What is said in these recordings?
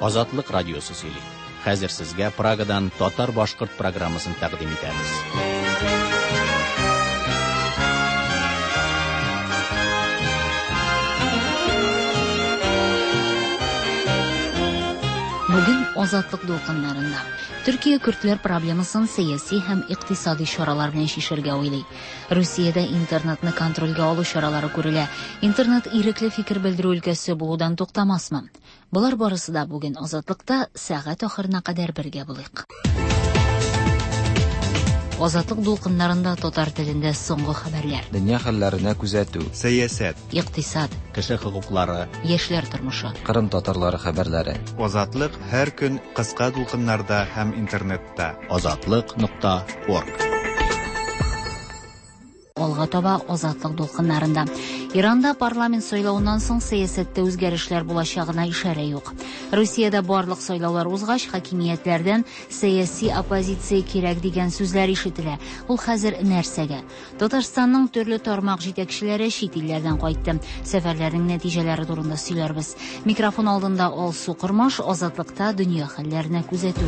Азатлык радиосы сөйли. Хәзер сезгә Прагадан татар-башкорт программасын тәкъдим итәбез. Бүген Азатлык дулкыннарында Төркия көрдләр проблемасын сәяси һәм икътисади чаралар белән чишәргә уйлый. Русиядә интернетны контрольгә алу чаралары күрелә. Интернет ирекле фикер белдерү өлкәсе булудан туктамасмы? Болар барысы да бүген Азатлыкта сәгать ахырына кадәр бергә булыйк. Азатлык дулкыннарында татар телендә соңгы хәбәрләр. Дөнья хәлләренә күзәтү. Сәясәт. Икътисад. Кеше хокуклары. Яшьләр тормышы. Кырым татарлары хәбәрләре. Азатлык һәр көн кыска дулкыннарда һәм интернетта. Азатлык.орг. Алга таба Азатлык дулкыннарында. Иранда парламент сайлавыннан соң сәясәттә үзгәрешләр булачагына ишарә юк. Русиядә барлык сайлаулар узгач, хакимиятләрдән сәяси оппозиция кирәк дигән сүзләр ишетелә. Ул хәзер нәрсәгә? Татарстанның төрле тармак җитәкчеләре чит илләрдән кайтты. Сәфәрләрнең нәтиҗәләре турында сөйләрбез. Микрофон алдында Алсу Кормаш, Азатлыкта дөнья хәлләренә күзәтү.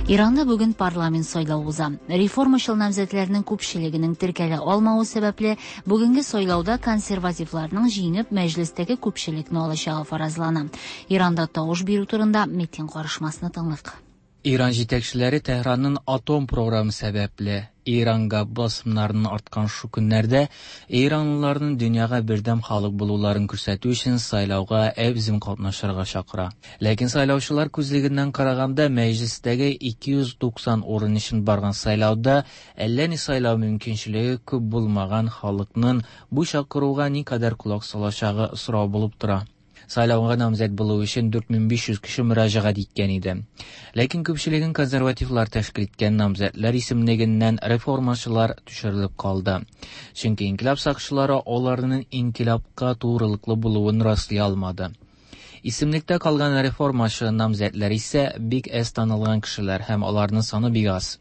Иранда бүген парламент сайлавы уза. Реформачыл намзәтләрнең күпчелегенең теркәлә алмавы сәбәпле, бүгенге сайлауда консервативларның җиңеп мәҗлестәге күпчелекне алачагы фаразлана. Иранда тавыш бирү турында Метин карышмасны тыңлыйк. Иран җитәкчеләре Тәһранның атом програмы сәбәпле Иранга басымнарының арткан шу көннәрдә иранлыларның дөньяга бердәм халык булуларын күрсәтү өчен сайлауга әбзим катнашырга чакыра. Ләкин сайлаучылар күзлегеннән караганда мәҗлестәге 290 урын өчен барган сайлауда әллә ни сайлау мөмкинчелеге күп булмаган халыкның бу чакыруга никадәр колак салачагы сорау булып тора. Сайлауга намзәт булу өчен 4500 кеше мөрәҗәгать иткән иде. Ләкин күпчелеген консервативлар тәшкил иткән намзәтләр исемлегеннән реформачылар төшерелеп калды. Чөнки инкыйлаб сакчылары аларның инкыйлабка турылыклы булуын раслый алмады. Исемлектә калган реформачы намзәтләр исә бик әз танылган кешеләр һәм аларның саны бик аз.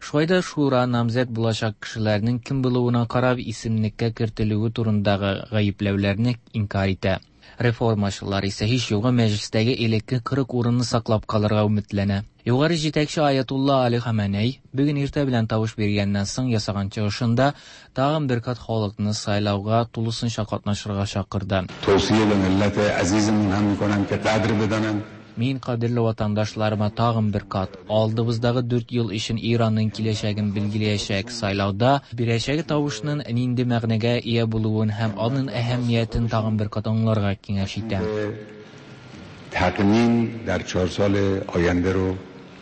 Шулай да шура намзәт булачак кешеләрнең кем булуына карап исемлеккә кертелүе турындагы гаепләүләрне инкар итә. Реформачылар исә һич югы мәҗлестәге элекке 40 урынны саклап калырга өметләнә. Югары җитәкче Аятулла Али Хаменей бүген иртә белән тавыш биргәннән соң ясаган чыгышында тагын бер кат халыкны сайлауга тулысынча катнашырга чакырды. توصیه به ملت عزیزمون هم میکنم که قدر بدانند Мин кадерле ватандашларыма тагын бер кат алдыбыздагы 4 ел өчен Иранның киләчәген билгеләячәк сайлауда бирәчәге тавышның нинди мәгънәгә ия булуын һәм аның әһәмиятен тагын бер кат аңларга киңәш итәм. تقنین در چهار سال آینده رو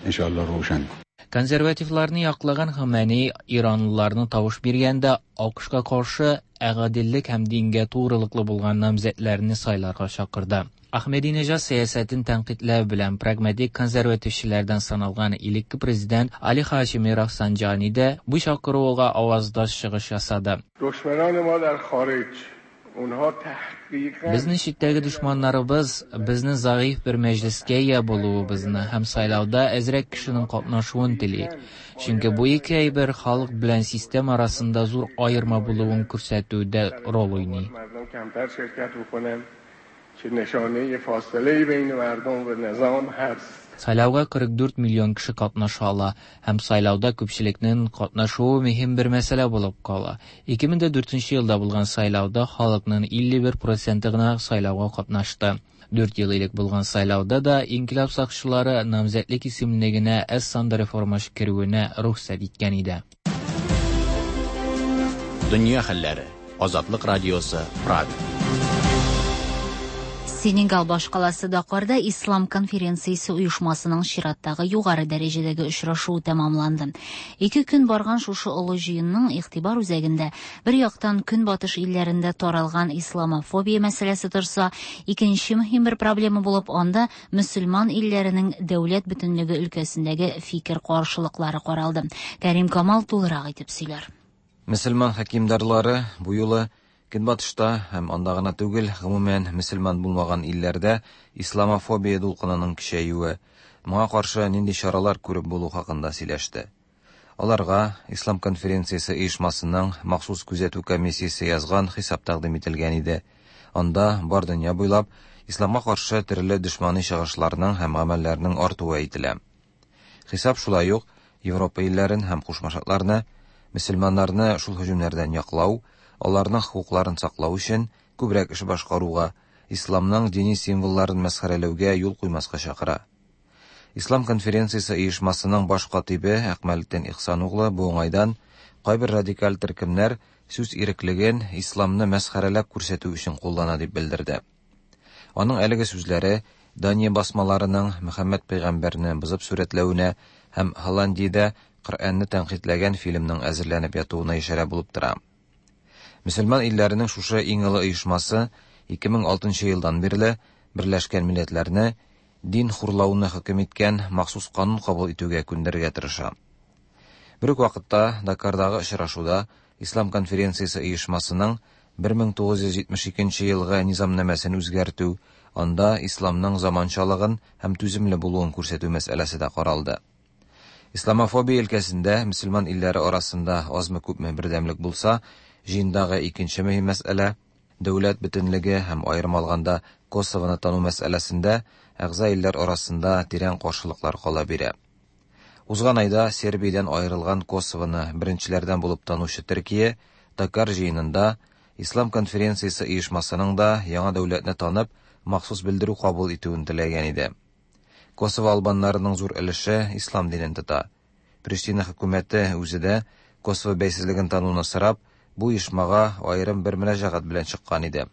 انشاءالله روشن کنیم. Консервативларны яклаган Хаменей иранлыларны тавыш биргәндә АКШка каршы гаделлек һәм дингә турылыклы булган намзәтләрне сайларга чакырды. Ахмединежад сәясәтен тәнкыйтьләү белән прагматик консервативчылардан саналган элекке президент Али Хашими Рафсанджани да бу чакыруга аваздаш чыгыш ясады. دشمنان ما در خارج اونها تحقیقا Безнең читтәге дошманнарыбыз безнең зәгыйфь бер мәҗлескә ия булуыбызны һәм сайлауда әзрәк кешенең катнашуын тели. Чөнки бу ике әйбер халык белән система арасында зур аерма булуын күрсәтүдә роль уйный. مردم کمتر شرکت بکنن که نشانه فاصله بین مردم و نظام هست. Сайлауга 44 миллион кеше катнаша ала һәм сайлауда күпчелекнең катнашуы мөһим бер мәсьәлә булып кала. 2004 елда булган сайлауда халыкның 51% гына сайлауга катнашты. 4 ел элек булган сайлауда да инкыйлаб сакчылары намзәтлек исемлегенә әз санда реформачы керүенә рөхсәт иткән иде. Дөнья хәлләре. Азатлык радиосы Прага. Сенегал башкаласы Дакарда Ислам конференциясе оешмасының чираттагы югары дәрәҗәдәге очрашуы тәмамланды. Ике көн барган шушы олы җыенның игътибар үзәгендә бер яктан көнбатыш илләрендә таралган исламофобия мәсьәләсе торса, икенче мөһим бер проблема булып анда мөселман илләренең дәүләт бөтенлеге өлкәсендәге фикер каршылыклары каралды. Кәрим Камал тулырак итеп сөйләр. Мөселман хакимдарлары бу юлы Көнбатышта һәм анда гына түгел, гомумән мөселман булмаган илләрдә исламофобия дулкынының көчәюе, моңа каршы нинди чаралар күреп булу хакында сөйләште. Аларга Ислам конференциясе оешмасының махсус күзәтү комиссиясе язган хисап тәкъдим ителгән иде. Анда бар дөнья буйлап исламга каршы төрле дошмани чыгышларның һәм гамәлләрнең артуы әйтелә. Хисап шулай ук Европа илләрен һәм Кушма Штатларны мөселманнарны шул һөҗүмнәрдән яклау, аларның хокукларын саклау өчен күбрәк эш башкаруга, исламның дини символларын мәсхәрәләүгә юл куймаска чакыра. Ислам конференциясе оешмасының баш катибе Әкмәлетдин Ихсаноглы бу уңайдан кайбер радикаль төркемнәр сүз иреклеген исламны мәсхәрәләп күрсәтү өчен куллана дип белдерде. Аның әлеге сүзләре Дания басмаларының Мөхәммәд пәйгамбәрне бозып сурәтләвенә һәм Һолландиядә Коръәнне тәнкыйтьләгән фильмның әзерләнеп ятуына ишарә булып тора. Мөселман илләренең шушы иң олы оешмасы 2006 елдан бирле Берләшкән Милләтләрне дин хурлауны хөкем иткән махсус канун кабул итүгә күндерергә тырыша. Бер үк вакытта Дакардагы очрашуда Ислам конференциясе оешмасының 1972 елгы низамнамәсен үзгәртү, анда исламның заманчалыгын һәм түземле булуын күрсәтү мәсьәләсе дә каралды. Исламофобия өлкәсендә мөселман илләре арасында азмы-күпме бердәмлек булса, җыендагы икенче мөһим мәсьәлә, дәүләт бөтенлеге һәм аерым алганда Косовоны тану мәсьәләсендә әгъза илләр арасында тирән каршылыклар кала бирә. Узган айда Сербиядән аерылган Косовоны беренчеләрдән булып танучы Төркия Дакар җыенында Ислам конференциясе оешмасының да яңа дәүләтне танып, махсус белдерү кабул итүен теләгән иде. Косово албаннарының зур өлеше ислам динен тота. Приштина хөкүмәте үзе дә Косово бәйсезлеген тануны сорап, бу оешмага аерым бер мөрәҗәгать белән чыккан иде.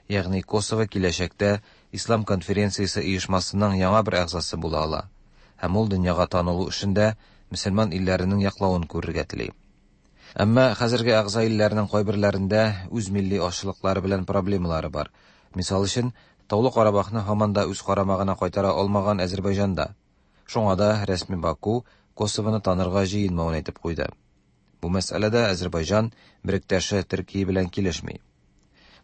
Ягъни Косово киләчәктә Ислам конференциясе оешмасының яңа бер әгъзасы була ала. Һәм ул дөньяга танылу эшендә мөселман илләренең яклавын күрергә тели. Әмма хәзерге әгъза илләрнең кайберләрендә үз милли азчылыклары белән проблемалары бар. Мисал өчен, Таулы Карабахны һаман да үз карамагына кайтара алмаган Әзербайҗанда. Шуңа да рәсми Баку Косовоны танырга җыенмавын әйтеп куйды. Бу мәсьәләдә Әзербайҗан беректәше Төркия белән килешми.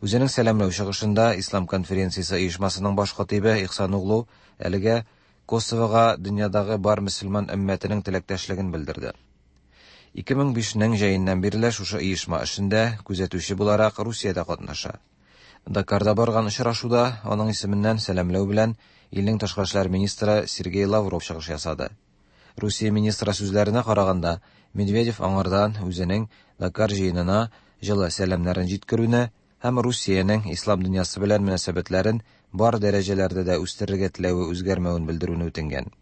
Үзенең сәламләү чыгышында Ислам конференциясе оешмасының баш катибе Ихсаноглу әлегә Косовога дөньядагы бар мөселман өммәтенең теләктәшлеген белдерде. 2005 нең җәеннән бирле шушы оешма эшендә күзәтүче буларак Русия дә катнаша. Дакарда барган очрашуда аның исеменнән сәламләү белән илнең тышкы эшләр министры Сергей Лавров чыгыш ясады. Русия министры сүзләренә караганда, Медведев аңардан үзенең Дакар җыенына җылы сәламнәрен җиткерүне һәм Русиянең ислам дөньясы белән мөнәсәбәтләрен бар дәрәҗәләрдә дә үстерергә теләве үзгәрмәвен белдерүне үтенгән.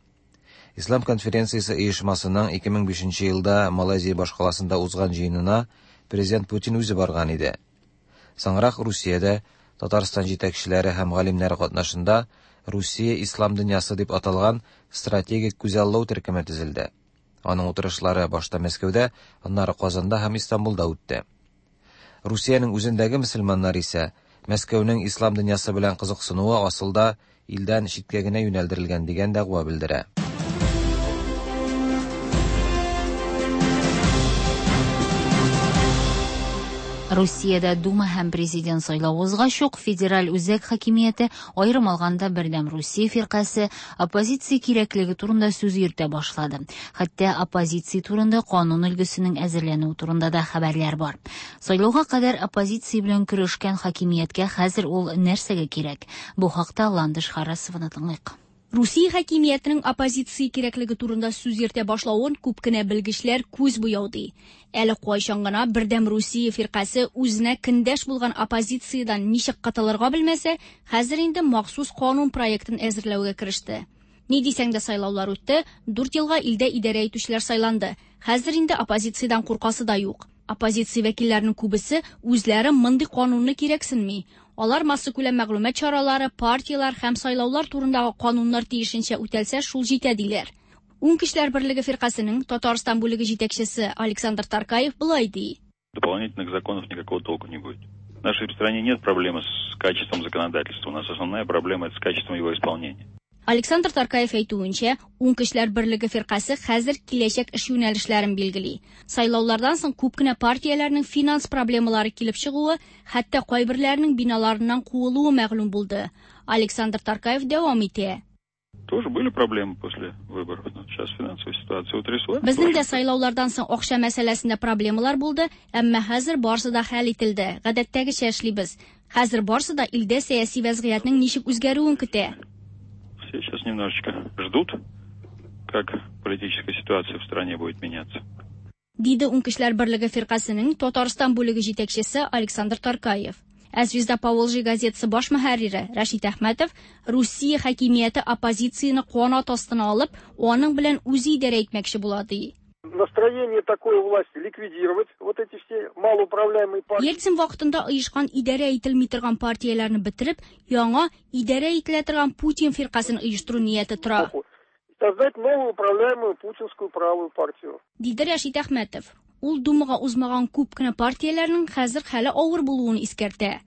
Ислам конференциясе оешмасының 2005 елда Малайзия башкаласында узган җыенына президент Путин үзе барган иде. Соңрак Русиядә Татарстан җитәкчеләре һәм галимнәре катнашында Русия ислам дөньясы дип аталган стратегик күзаллау төркеме төзелде. Аның утырышлары башта Мәскәүдә, аннары Казанда һәм Истанбулда үтте. Русиянең үзендәге мөселманнар исә Мәскәүнең ислам дөньясы белән кызыксынуы асылда илдән читкә генә юнәлдерелгән дигән дәгъва белдерә. Русиядә Дума һәм президент сайлавы узгач ук федераль үзәк хакимияте, аерым алганда Бердәм Русия фиркасе, оппозиция кирәклеге турында сүз йөртә башлады. Хәтта оппозиция турында канун өлгесенең әзерләнүе турында да хәбәрләр бар. Сайлауга кадәр оппозиция белән көрәшкән хакимияткә хәзер ул нәрсәгә кирәк? Бу хакта Ландыш Харасованы тыңлыйк. Русия хакимиятенең оппозиция кирәклеге турында сүз йөртә башлавын күп кенә белгечләр күз буяу ди. Әле кайчан гына Бердәм Русия фиркасе үзенә көндәш булган оппозициядән ничек котылырга белмәсә, хәзер инде махсус канун проектын әзерләүгә кереште. Ни дисәң дә сайлаулар үтте, 4 елга илдә идарә итүчеләр сайланды. Хәзер инде оппозициядән куркасы да юк. Оппозиция вәкилләренең күбесе үзләре мондый канунны кирәксенми. Алар массакүләм мәгълүмат чаралары, партияләр һәм сайлаулар турындагы кануннар тиешенчә үтәлсә, шул җитә диләр. Уң көчләр берлеге фиркасының Татарстан бүлеге җитәкчесе Александр Таркаев болай ди. Дополнительных законов никакого толку не будет. В нашей стране нет проблемы с качеством законодательства. У нас основная проблема – это с качеством его исполнения. Александр Таркаев әйтүенчә, Уң көчләр берлеге фиркасе хәзер киләчәк эш юнәлешләрен билгели. Сайлаулардан соң күп кенә партияләрнең финанс проблемалары килеп чыгуы, хәтта кайберләренең биналарыннан куылуы мәгълүм булды. Александр Таркаев дәвам итә. Тоже были проблемы после выборов, но сейчас финансовая ситуация утряслась. Безнең дә сайлаулардан соң акча мәсьәләсендә проблемалар булды, әмма хәзер барысы да хәл ителде. Гадәттәгечә эшлибез. Хәзер барысы да илдә сәяси вәзгыятьнең ничек үзгәрүен көтә. Все сейчас немножечко ждут, как политическая ситуация в стране будет меняться. Диде Уң көчләр берлеге фиркасенең Татарстан бүлеге җитәкчесе Александр Таркаев. Ә Звезда Поволжья газетасы баш мөхәррире Рәшит Әхмәтов Русия хакимияте оппозицияне канат астына алып, аның белән үзе идарә итмәкче була ди. Настроение такое власти ликвидировать вот эти все малоуправляемые партии. Ельцин вакытында оешкан идарә ителми торган партияләрне бетереп, яңа идарә ителә торган Путин фиркасен оештыру нияте тора. Создать новую управляемую путинскую правую партию. Диде Рәшит Әхмәтов. Ул Думага узмаган күп кенә партияләрнең хәзер хәле авыр булуын искәртә.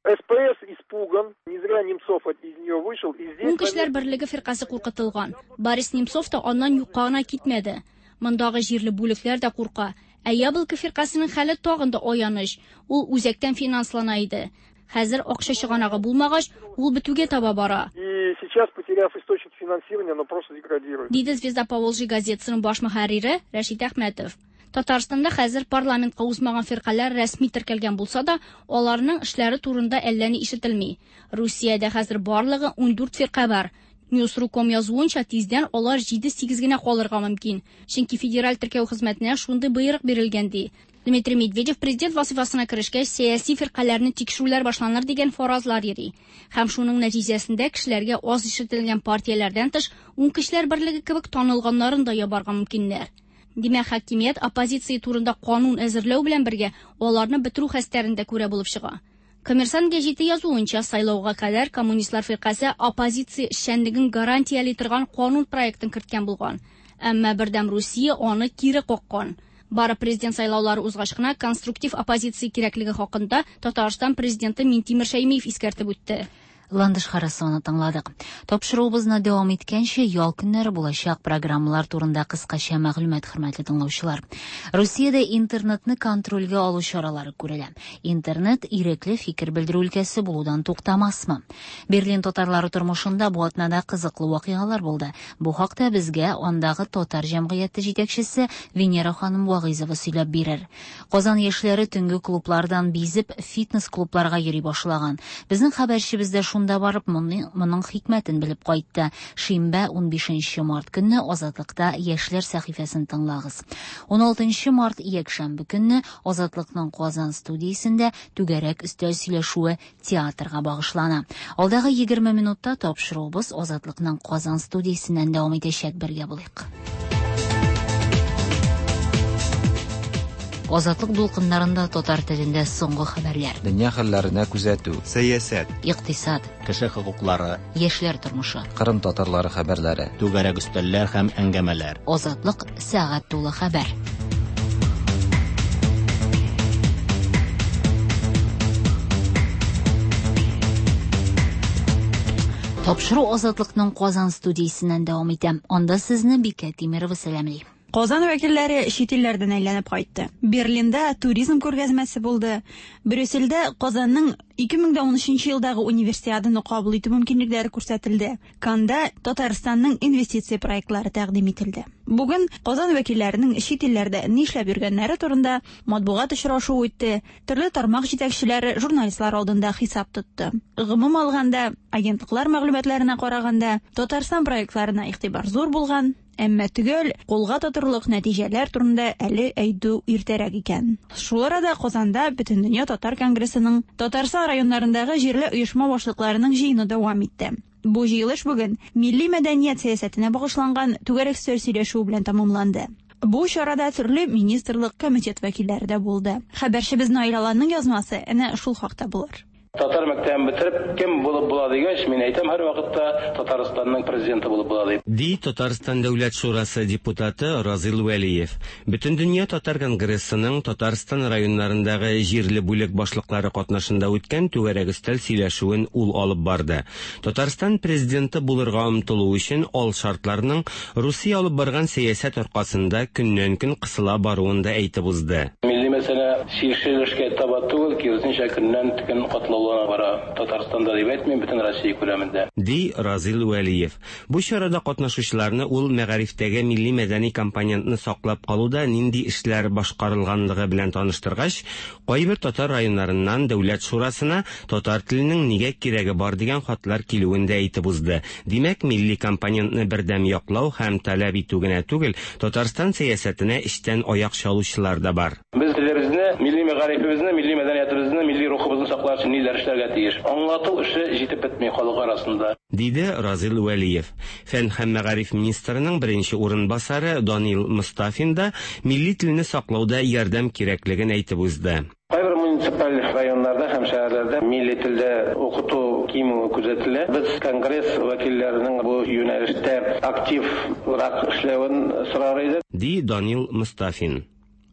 СПС испуган, не зря Немцов из нее вышел. И здесь Уң көчләр берлеге фиркасе куркытылган. Борис Немцов та аннан юкка гына китмәде. Мондагы җирле бүлекләр дә курка. Ә Яблоко фиркасенең хәле тагын да аяныч. Ул үзәктән финанслана иде. Хәзер акча чыганагы булмагач, ул бетүгә таба бара. И сейчас, потеряв источник финансирования, оно просто деградирует. Диде Звезда Поволжья газетасының баш мөхәррире Рәшит Әхмәтов. Татарстанда хәзер парламентка узмаган фиркаләр рәсми теркәлгән булса да, аларның эшләре турында әллә ни ишетелми. Русиядә хәзер барлыгы 14 фирка бар. Newsru.com язуынча, тиздән алар 7-8 генә калырга мөмкин. Чөнки федераль теркәү хезмәтенә шундый боерык бирелгән ди. Дмитрий Медведев президент вазифасына керешкәч, сәяси фиркаләрне тикшерүләр башланыр дигән фаразлар йөри. Һәм шуның нәтиҗәсендә кешеләргә аз ишетелгән партияләрдән тыш, Уң көчләр берлеге кебек танылганнарын да ябарга мөмкиннәр. Димәк, хакимият оппозиция турында канун әзерләү белән бергә аларны бетерү хәстәрен дә күрә булып чыга. Коммерсант гәҗите язуынча, сайлауга кадәр коммунистлар фиркасе оппозиция эшчәнлеген гарантияли торган канун проектын керткән булган. Әмма Бердәм Русия аны кире каккан. Бары президент сайлаулары узгач кына конструктив оппозиция кирәклеге хакында Татарстан президенты Минтимер Шәймиев искәртеп үтте. Ландыш Харасованы тыңладык. Тапшыруыбызны дәвам иткәнче, ял көннәре булачак программалар турында кыскача мәгълүмат, хөрмәтле тыңлаучылар. Русиядә интернетны контрольгә алу чаралары күрелә. Интернет ирекле фикер белдерү өлкәсе булудан туктамасмы? Берлин татарлары тормышында бу атнада кызыклы вакыйгалар булды. Бу хакта безгә андагы татар җәмгыяте җитәкчесе Венера ханым Вагыйзова сөйләп бирер. Казан яшьләре төнге клублардан бизеп, фитнес-клубларга йөри башлаган. Безнең хәбәрчебез дә шунда барып, моның хикмәтен белеп кайтты. Шимбә 15 март көнне Азатлыкта яшьләр сәхифәсен тыңлагыз. 16 март якшәмбе көнне Азатлыкның Казан студиясендә түгәрәк өстәл сөйләшүе театрга багышлана. Алдагы 20 минутта тапшыруыбыз Азатлыкның Казан студиясеннән дәвам итәчәк. Бергә булыйк. Азатлык дулкыннарында татар телендә соңгы хәбәрләр. Дөнья хәлләренә күзәтү. Сәясәт. Икътисад. Кеше хокуклары. Яшьләр тормышы. Кырым татарлары хәбәрләре. Түгәрәк өстәлләр һәм әңгәмәләр. Азатлык сәгать тулы хәбәр. Тапшыру Азатлыкның Казан студиясеннән дәвам итә. Анда сезне Бикә Тимирова сәламли. Казан вәкилләре чит илләрдән әйләнеп кайтты. Берлинда туризм күргәзмәсе булды. Брюссельдә Казанның 2013 елдагы универсиаданы кабул итү мөмкинлекләре күрсәтелде. Канда Татарстанның инвестиция проектлары тәкъдим ителде. Бүген Казан вәкилләренең чит илләрдә нишләп йөргәннәре турында матбугат очрашуы үтте. Төрле тармак җитәкчеләре журналистлар алдында хисап тотты. Гомум алганда, агентлыклар мәгълүматларына караганда, Татарстан проектларына игътибар зур булган, әмма төгәл кулга тотырлык нәтиҗәләр турында әле әйтү иртәрәк икән. Шул арада Казанда Бөтендөнья татар конгрессының Татарстан районнарындагы җирле оешма башлыкларының җыены дәвам итте. Бу җыелыш бүген милли мәдәният сәясәтенә багышланган түгәрәк өстәл сөйләшүе белән тәмамланды. Бу чарада төрле министрлык, комитет вәкилләре дә булды. Хәбәрчебез Наил Аланның язмасы әнә шул хакта булыр. Татар мәктәбен бетереп, кем булып була дигәч, мин әйтәм һәрвакытта Татарстанның президенты булып була дип. Ди Татарстан Дәүләт Шурасы депутаты Разил Вәлиев. Бөтендөнья татар конгрессының Татарстан районнарындагы җирле бүлек башлыклары катнашында үткән түгәрәк өстәл сөйләшүен ул алып барды. Татарстан президенты булырга омтылу өчен ал шартларның Русия алып барган сәясәт аркасында көннән-көн кысыла баруын да әйтеп узды. Милли Мәсьәлә чишелешкә таба түгел, киресенчә, көннән-көн катлаулана бара. Татарстанда дип әйтмим, бөтен Россия күләмендә. Ди Разил Вәлиев. Бу чарада катнашучыларны ул мәгарифтәге милли-мәдәни компонентны саклап калуда нинди эшләр башкарылганлыгы белән таныштыргач, кайбер татар районнарыннан Дәүләт шурасына татар теленең нигә кирәге бар дигән хатлар килүен дә әйтеп узды. Димәк, милли компонентны бердәм яклау һәм таләп итү генә түгел, Татарстан сәясәтенә эчтән аяк чалучылар да бар. Без телебезне, милли мәгарифебезне, милли мәдәниятебезне, милли рухыбызны саклар өчен ниләр эшләргә тиеш? Аңлату эше җитеп бетми халык арасында. Диде Разил Вәлиев. Фән һәм мәгариф министрының беренче урынбасары Данил Мостафин да милли телне саклауда ярдәм кирәклеген әйтеп узды. Кайбер муниципаль районнарда һәм шәһәрләрдә милли телдә укыту кимүе күзәтелә. Без конгресс вәкилләренең бу юнәлештә активрак эшләвен сорар идек. Ди Данил Мостафин.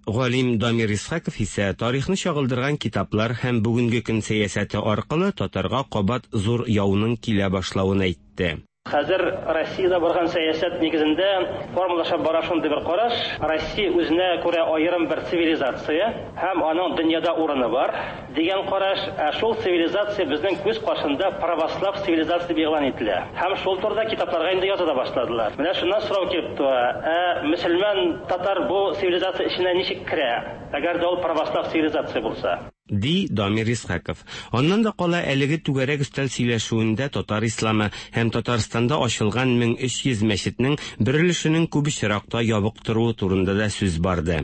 Галим Дамир Исхаков исә тарихны чагылдырган китаплар һәм бүгенге көн сәясәте аркылы татарга кабат зур яуның килә башлавын әйтте. Хәзер Россиядә барган сәясәт нигезендә формалаша бара шундый бер караш, Россия үзенә күрә аерым бер цивилизация һәм аның дөньяда урыны бар, дигән караш, ә шул цивилизация безнең күз каршында православ цивилизация дип игълан ителә. Һәм шул турыда китапларга инде яза да башладылар. Менә шуннан сорау килеп туа, ә мөселман татар бу цивилизация эченә ничек керә, әгәр дә ул православ цивилизация булса? Ди Дамир Исхаков. Аннан да кала әлеге түгәрәк өстәл сөйләшүендә татар исламы һәм Татарстанда ачылган 1300 мәчетнең бер өлешенең күп очракта ябык торуы турында да сүз барды.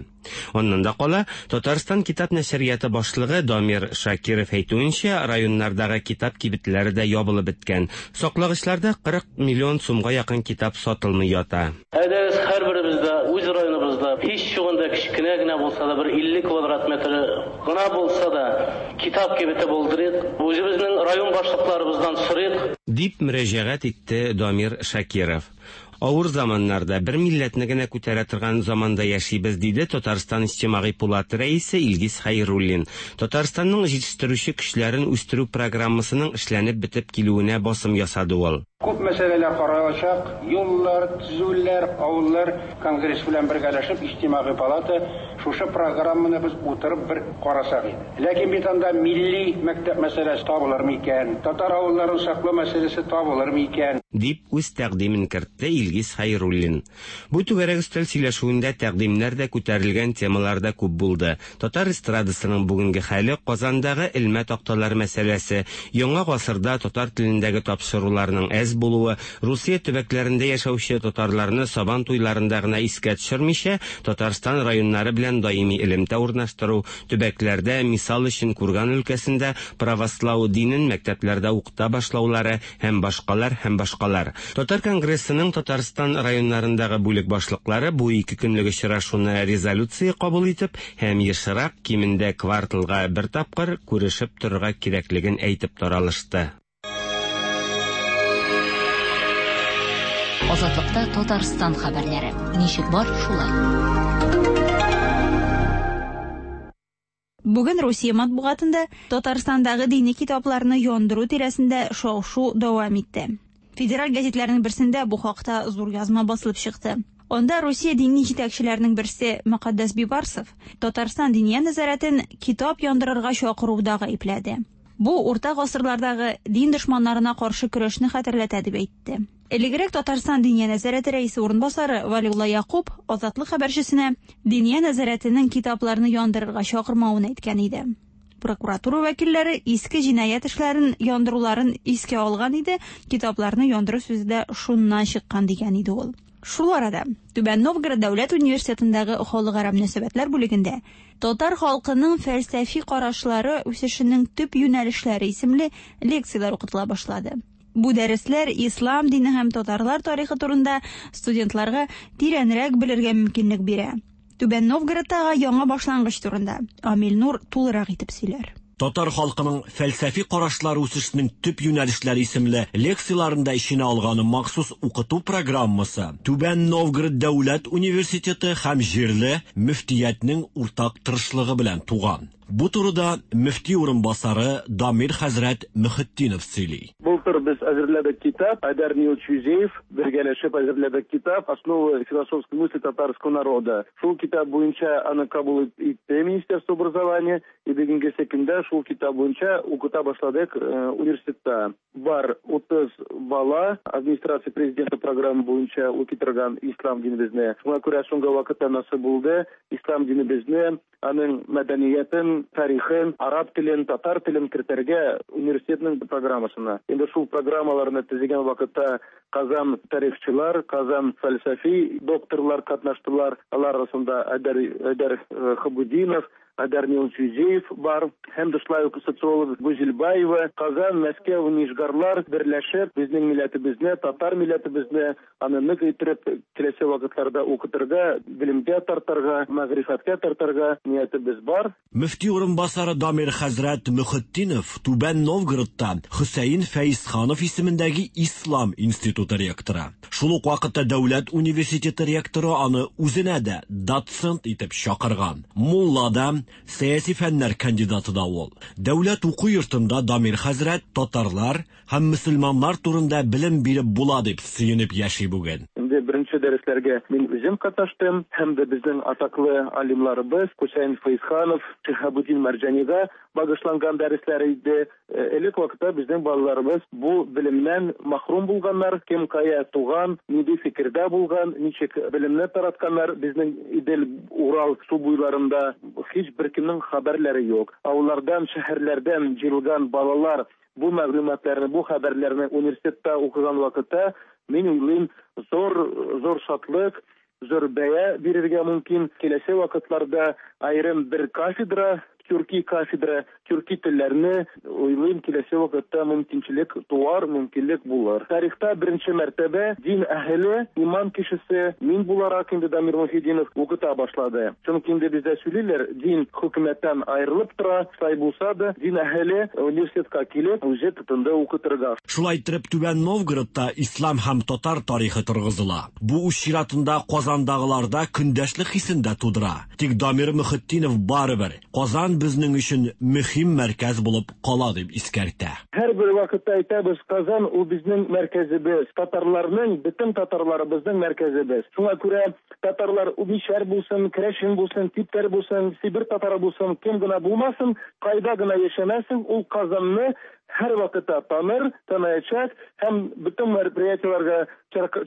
Аннан да кала, Татарстан китап нәшрияты башлыгы Дамир Шакиров әйтүенчә, районнардагы китап кибетләре дә ябылып беткән. Саклагычларда 40 миллион сумга якын китап сатылмый ята. Әйдәгез, һәрберебез дә үз районыбызда, һич югында кечкенә генә булса да, бер 50 квадрат метры гына булса да, китап кибете булдырыйк, үзебезнең район башлыкларыбыздан сорыйк. Дип мөрәҗәгать итте Дамир Шакиров. Авыр заманнарда, бер милләтне генә күтәрә торган заманда яшибез, диде Татарстан Иҗтимагый пулаты рәисе Илгиз Хәйруллин. Татарстанның җитештерүче көчләрен үстерү программасының эшләнеп бетеп килүенә басым ясады ул. Күп мәсьәләләр каралачак, юллар, төзүләр, авыллар, конгресс белән бергәләшеп, Иҗтимагый палата шушы программаны без утырып бер карасак иде. Ләкин бит анда милли мәктәп мәсьәләсе табылыр микән, татар авылларын саклау мәсьәләсе табылыр микән? Дип үз тәкъдимен кертте Илгиз Хәйруллин. Бу түгәрәк өстәл сөйләшүендә тәкъдимнәр дә күтәрелгән темалар да күп булды. Татар эстрадасының бүгенге хәле, Казандагы элмә такталар мәсьәләсе, яңа гасырда татар телендәге тапшыруларның әз булуы, Русия төбәкләрендә яшәүче татарларны Сабан туйларында гына искә төшермичә, Татарстан районнары белән даими элемтә урнаштыру, төбәкләрдә, мисал өчен Курган өлкәсендә правослау динен мәктәпләрдә укыта башлаулары һәм башкалар һәм башкалар. Татар конгрессының Татарстан районнарындагы бүлек башлыклары бу ике көнлек очрашуны резолюция кабул итеп һәм ешрак, кимендә кварталга бер тапкыр, күрешеп торырга кирәклеген әйтеп таралышты. Азатлыкта Татарстан хәбәрләре. Ничек бар, шулай. Бүген Русия матбугатында Татарстандагы дини китапларны яндыру тирәсендә шау-шу дәвам итте. Федераль гәзитләрнең берсендә бу хакта зур язма басылып чыкты. Анда Русия дини җитәкчеләренең берсе Мөкаддәс Бибарсов Татарстан Диния нәзарәтен китап яндырырга чакыруда гаепләде. Бу урта гасырлардагы дин дошманнарына каршы көрәшне хәтерләтә дип әйтте. Элегрәк Татарстан Диния нәзарәте рәисе урынбасары Валиулла Якуб Азатлык хәбәрчесенә Диния нәзарәтенең китапларны яндырырга чакырмавын әйткән иде. Прокуратура вәкилләре иске җинаять эшләрен яндыруларын искә алган иде, китапларны яндыру сүзе дә шуннан чыккан дигән иде ул. Шул арада Түбән Новгород дәүләт университетындагы халыкара мөнәсәбәтләр бүлегендә татар халкының фәлсәфи карашлары үсешенең төп юнәлешләре исемле лекцияләр укытыла башлады. Бу дәресләр ислам дине һәм татарлар тарихы турында студентларга тирәнрәк белергә мөмкинлек бирә. Түбән Новгородтагы яңа башлангыч турында Амил Нур тулырак итеп сөйләр. Татар халкының фәлсәфи карашлары үсешенең төп юнәлешләре исемле лекцияләрен дә эченә алган махсус укыту программасы Түбән Новгород дәүләт университеты һәм җирле мөфтиятнең уртак тырышлыгы белән туган. Бу турыда мөфти урынбасары Дамир хәзрәт Мөхетдинов сөйли. Бу Былтыр без әзерләдек китап, Айдар Нилович Юзеев бергәләшеп әзерләдек китап Основы философской мысли татарского народа. Шул китап буенча аны кабул итте Министерство образования, и бүгенгесе көндә шул китап буенча укыта башладык университетта. Бар 30 бала администрация президента программа буенча укый торган ислам динебезне. Шуңа күрә соңгы вакытта насыйп булды ислам динебезне, аның мәдәниятен, тарихын, араб телен, татар телен кертергә университетның программасына. Инде шул программаларны төзегән вакытта Казан тарихчылар, Казан фәлсәфи докторлар катнаштылар. Алар арасында Айдар Хабудинов, Айдар Нилович Юзеев бар, һәм дә шулай ук социолог Гүзелбаева. Казан, Мәскәү, Нижгарлар берләшеп, безнең милләтебезне, татар милләтебезне аны нык иттереп киләсе вакытларда укытырга, белемгә тартырга, мәгърифәткә тартырга ниятебез бар. Мөфти урынбасары Дамир хәзрәт Мөхетдинов Түбән Новгородта Хөсәен Фәизханов исемендәге Ислам институты ректоры. Шул ук вакытта дәүләт университеты ректоры аны үзенә дә доцент итеп чакырган. Мулла да, сәяси фәннәр кандидаты да ул. Дәүләт уку йортында Дамир хәзрәт татарлар һәм мөселманнар турында белем биреп була дип сөенеп яши бүген. Инде беренче дәресләргә мин үзем катнаштым, һәм дә безнең атаклы алимларыбыз Хөсәен Фәизханов, Шиһабуддин Мәрҗанига багышланган дәресләр иде. Элек вакытта безнең балаларыбыз бу белемнән махрум булганнар, кем кая туган, нинди фикердә булган, ничек белемне таратканнар безнең Идел, Урал су буйларында һич беркемнең хәбәрләре юк. Авыллардан, шәһәрләрдән җыелган балалар бу мәгълүматларны, бу хәбәрләрне университетта укыган вакытта, мин уйлыйм, зур, зур шатлык, зур бәя бирергә мөмкин. Киләсе вакытларда аерым бер кафедра, төрки кафедра, төрки телләрне уйлыйм, киләсе вакытта мөмкинчелек туар, мөмкинлек булыр. Тарихта беренче мәртәбә дин әһеле, иман кешесе, мин буларак инде Дамир Мөхетдинов укыта башлады. Чөнки инде бездә сөйлиләр, дин хөкүмәттән аерылып тора, шулай булса да, дин әһеле университетка килеп, үзе тотынды укытырга. Шулай иттереп, Түбән Новгородта ислам һәм татар тарихы торгызыла. Бу үз чиратында Казандагыларда көндәшлек хисен дә тудыра. Тик Дамир Мөхетдинов барыбер Казан безнең өчен мөһим мәркәз булып кала дип искәртә. Һәрбер вакытта әйтәбез, Казан ул безнең мәркәзебез, татарларның, бөтен татарларыбызның мәркәзебез. Шуңа күрә татарлар мишәр булсын, керәшен булсын, типтәр булсын, Себер татары булсын, кем генә булмасын, кайда гына яшәмәсен, ул Казанны һәрвакытта таныр, таныячак һәм бөтен мероприятиеләргә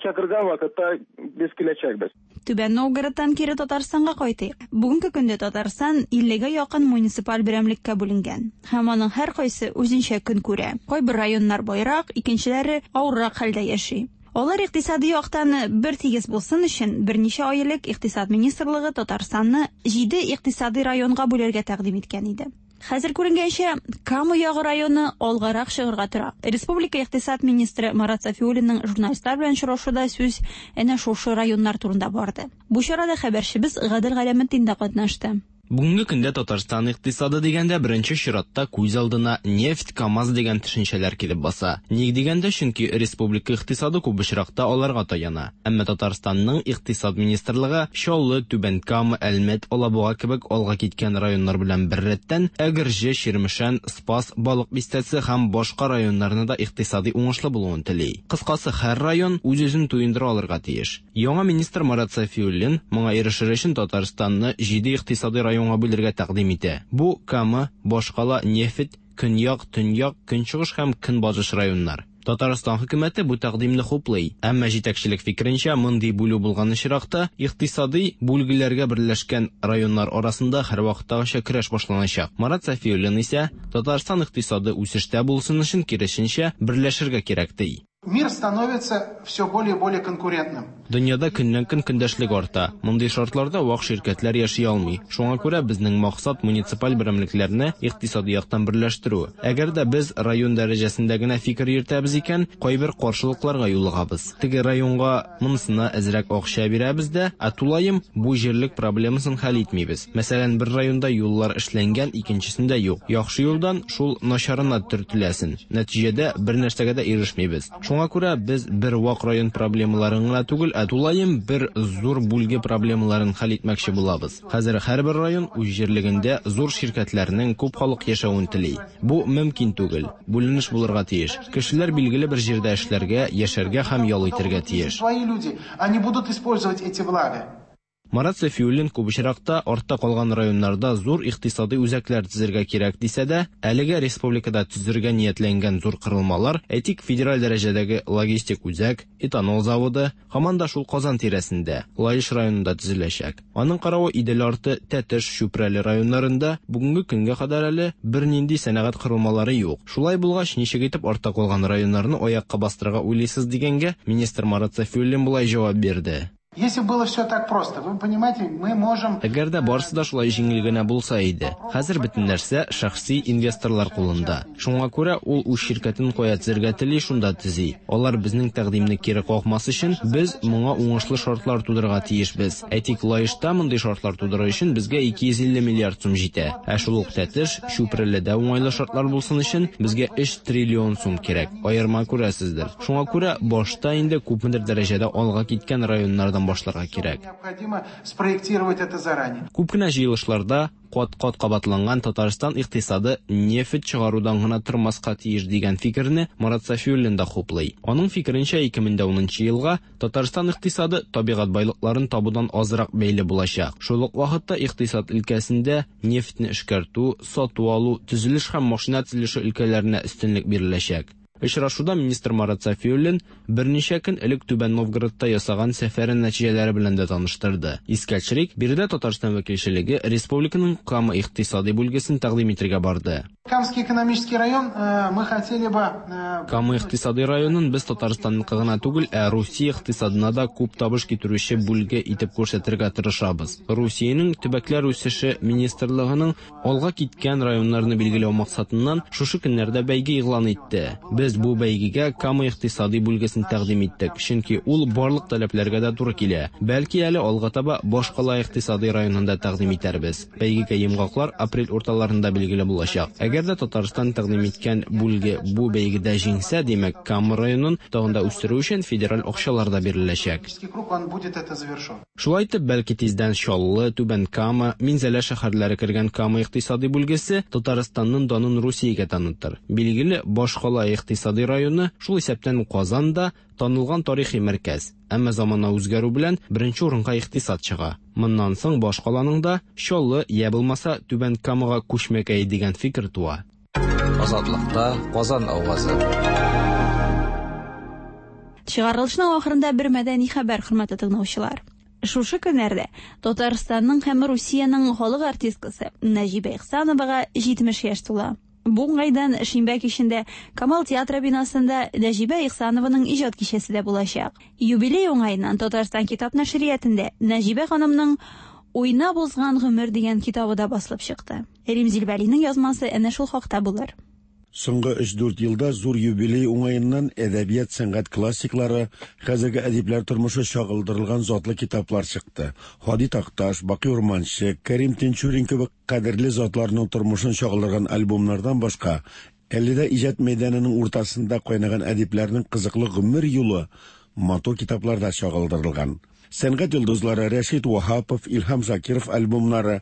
чакырган вакытта без киләчәкбез. Түбән Новгородтан кире Татарстанга кайтыйк. Бүгенге көндә Татарстан 50гә якын муниципаль берәмлеккә бүленгән. Һәм аның һәркайсы үзенчә көн күрә. Кайбер районнар байрак, икенчеләре авыррак хәлдә яши. Алар икътисади яктан бер тигез булсын өчен берничә ай элек Икътисад министрлыгы Татарстанны 7 икътисади районга бүләргә тәкъдим иткән иде. Хәзер күренгәнчә, Кама ягы районы алгарак чыгарга тора. Республика икътисад министры Марат Сафиуллинның журналистлар белән очрашуда сүз әнә шушы районнар турында барды. Бу чарада хәбәрчебез Гадел Галәметдин дә катнашты. Бүгенге көндә Татарстан икътисады дигәндә беренче чиратта күз алдына нефть, КАМАЗ дигән төшенчәләр килеп баса. Ник дигәндә, чөнки республика икътисады күп очракта аларга таяна. Әмма Татарстанның икътисад министрлыгы Чаллы, Түбән Кама, Әлмәт, Алабуга кебек алга киткән районнар белән беррәттән Әгерҗе, Чирмешән, Спас, Балык Бистәсе һәм башка районнарны да икътисади уңышлы булуын тели. Кыскасы, һәр район үз-үзен туендыра алырга тиеш. Яңа министр Марат Сафиуллин моңа ирешер өчен Татарстанны 7 икътисади районга бүлергә тәкъдим итә. Бу Кама, башкала, нефть, көньяк, төньяк, көнчыгыш һәм көнбатыш районнар. Татарстан хөкүмәте бу тәкъдимне хуплый. Әмма җитәкчелек фикеренчә, мондый бүлү булган очракта икътисади бүлгеләргә берләшкән районнар арасында һәрвакыттагыча көрәш башланачак. Марат Сафиуллин исә Татарстан икътисады үсештә булсын өчен киресенчә берләшергә кирәк ди. Мир становится все более и более конкурентным. Дөньяда көннән-көн көндәшлек арта. Мондый шартларда вак ширкәтләр яши алмый. Шуңа күрә безнең максат муниципаль берәмлекләрне икътисади яктан берләштерү. Әгәр дә без район дәрәҗәсендә генә фикер йөртәбез икән, кайбер каршылыкларга юлыгабыз. Теге районга монысына әзрәк акча бирәбез дә, ә тулаем бу җирлек проблемасын хәл итмибез. Мәсәлән, бер районда юллар эшләнгән, икенчесендә юк. Яхшы юлдан шул начарына төртеләсен. Нәтиҗәдә бер нәрсәгә дә ирешмибез. Шуңа күрә без бер вак район проблемаларын гына түгел, түгел, ә тулаем бер зур бүлге проблемаларын хәл итмәкче булабыз. Хәзер һәрбер район үз җирлегендә зур ширкәтләрнең күп халык яшәвен тели. Бу мөмкин түгел. Бүленеш булырга тиеш. Кешеләр билгеле бер җирдә эшләргә, яшәргә һәм ял итәргә тиеш. Свои люди, они будут использовать эти блага. Марат Сафиуллин күп очракта артта калган районнарда зур икътисадый үзәкләр төзергә кирәк дисә дә, әлегә республикада төзергә ниятләнгән зур корылмалар, әйтик, федераль дәрәҗәдәге логистик үзәк, этанол заводы, һаман да шул Казан тирәсендә, Лаеш районында төзеләчәк. Аның каравы Идел арты, Тәтеш, Чүпрәле районнарында бүгенге көнгә кадәр әле бернинди сәнәгать корылмалары юк. Шулай булгач, ничек итеп артта калган районнарны аякка бастырырга уйлыйсыз дигәнгә, министр Марат Сафиуллин болай җавап бирде. Если было все так просто, вы понимаете, мы можем... Әгәр дә барысы да шулай җиңел генә булса иде. Хәзер бөтен нәрсә шәхси инвесторлар кулында. Шуңа күрә ул үз ширкәтен кая төзергә тели, шунда төзи. Алар безнең тәкъдимне кире какмас өчен, без моңа уңышлы шартлар тудырырга тиешбез. Әйтик, Лаешта мондый шартлар тудыру өчен безгә 250 миллиард сум җитә. Ә шул ук Тәтеш, Чүпрәледә уңайлы шартлар булсын өчен безгә 3 триллион сум кирәк. Аерма күрәсездер. Шуңа күрә башта инде күпмедер дәрәҗәдә алга киткән районнардан башларга кирәк. Необходимо спроектировать это заранее. Күп кенә җыелышларда кат-кат кабатланган Татарстан икътисады нефть чыгарудан гына тормаска тиеш дигән фикерне Марат Сафиуллин да хуплый. Аның фикеренчә, 2010 елга Татарстан икътисады табигать байлыкларын табудан азрак бәйле булачак. Шул ук вакытта икътисад өлкәсендә нефтьне эшкәртү, сату-алу, төзелеш һәм машина төзелеше өлкәләренә өстенлек биреләчәк. Очрашуда министр Марат Сафиуллин берничә көн элек Түбән Новгородта ясаган сәфәре нәтиҗәләре белән дә таныштырды. Искә төшерик, биредә Татарстан вәкилчелеге республиканың Кама икътисади бүлгесен тәкъдим итергә барды. Камский экономический район мы хотели бы... Кама икътисади районын без Татарстанныкы гына түгел, ә Русия икътисадына да күп табыш китерүче бүлге итеп күрсәтергә тырышабыз. Русиянең төбәкләр үсеше министрлыгының алга киткән районнарны билгеләү максатыннан шушы көннәрдә бәйге игълан итте. Без бу бәйгегә Кама икътисади бүлгесен тәкъдим иттек, чөнки ул барлык таләпләргә дә туры килә. Бәлки әле алга таба башкала икътисади районын да тәкъдим итәрбез. Бәйгегә йомгаклар апрель урталарында билгеле булачак. Әгәр дә Татарстан тәкъдим иткән бүлге бу бәйгедә җиңсә, димәк, Кама районын тагын да үстерү өчен федераль акчалар да биреләчәк. Круг, он будет это завершен. Шулай итеп, бәлки тиздән Чаллы, Түбән Кама, Минзәлә шәһәрләре кергән Кама икътисади бүлгесе Татарстанның данын Русиягә танытыр. Билгеле, башкала икътисади районы, шул исәптән Казан да танылган тарихи мәркәз. Әмма замана үзгәрү белән беренче урынга икътисад чыга. Моннан соң башкаланың да Чаллы я булмаса Түбән Камага күчмәкәй дигән фикер туа. Азатлыкта Казан авазы. Чыгарылышның ахырында бер мәдәни хәбәр, хөрмәтле тыңлаучылар. Шушы көннәрдә Татарстанның һәм Русиянең халык артисткасы Нәҗибә Ихсановага 70 яшь тула. Бу уңайдан шимбә кичендә Камал театры бинасында Нәҗибә Ихсанованың иҗат кичәсе дә булачак. Юбилей уңаеннан Татарстан китап нәшриятендә Нәҗибә ханымның Уйнап узган гомер дигән китабы да басылып чыкты. Римзил Вәлинең язмасы әнә шул хакта булыр. Соңгы 3-4 елда зур юбилей уңаеннан әдәбият сәнгать классиклары, хәзерге әдипләр тормышы чагылдырылган затлы китаплар чыкты. Һади Такташ, Бакый Урманче, Кәрим Тинчурин кебек кадерле затларның тормышын чагылдырган альбомнардан башка, әле дә иҗат мәйданының уртасында кайнаган әдипләрнең кызыклы гомер юлы матур китапларда чагылдырылган. Сәнгать йолдызлары Рәшит Ваһапов, Илһам Шакиров альбомнары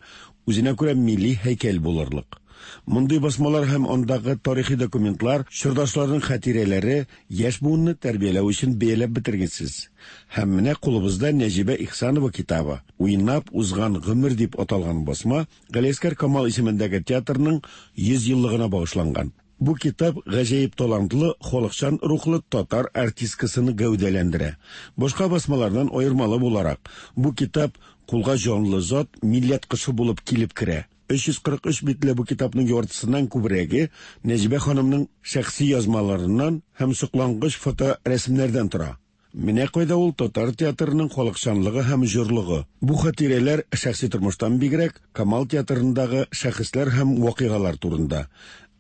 үзенә күрә милли һәйкәл булырлык. Мондый басмалар һәм андагы тарихи документлар чордашларның хатирәләре яшь буынны тәрбияләү өчен бәяләп бетергесез. Һәм менә кулыбызда Нәҗибә Ихсанова китабы Уйнап узган гомер дип аталган басма Галиәсгар Камал исемендәге театрның 100 еллыгына багышланган. Бу китап гаҗәеп талантлы, халыкчан рухлы татар артисткасын гәүдәләндерә. Башка басмалардан аермалы буларак, бу китап кулга җанлы зат, милләт кошы булып килеп керә. 343 битле бу китапның яртысыннан күбрәге Нәҗибә ханымның шәхси язмаларыннан һәм соклангыч фоторәсемнәрдән тора. Менә кайда ул татар театрының халыкчанлыгы һәм җорлыгы. Бу хатирәләр шәхси тормыштан бигрәк Камал театрындагы шәхесләр һәм вакыйгалар турында.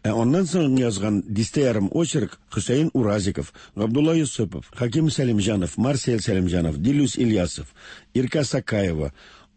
Ә аннан соң язган дистә ярым очерк Хөсәен Уразиков, Габдулла Юсупов, Хаким Сәлимҗанов, Марсель Сәлимҗанов, Дилүс Ильясов, Иркә Сакаева,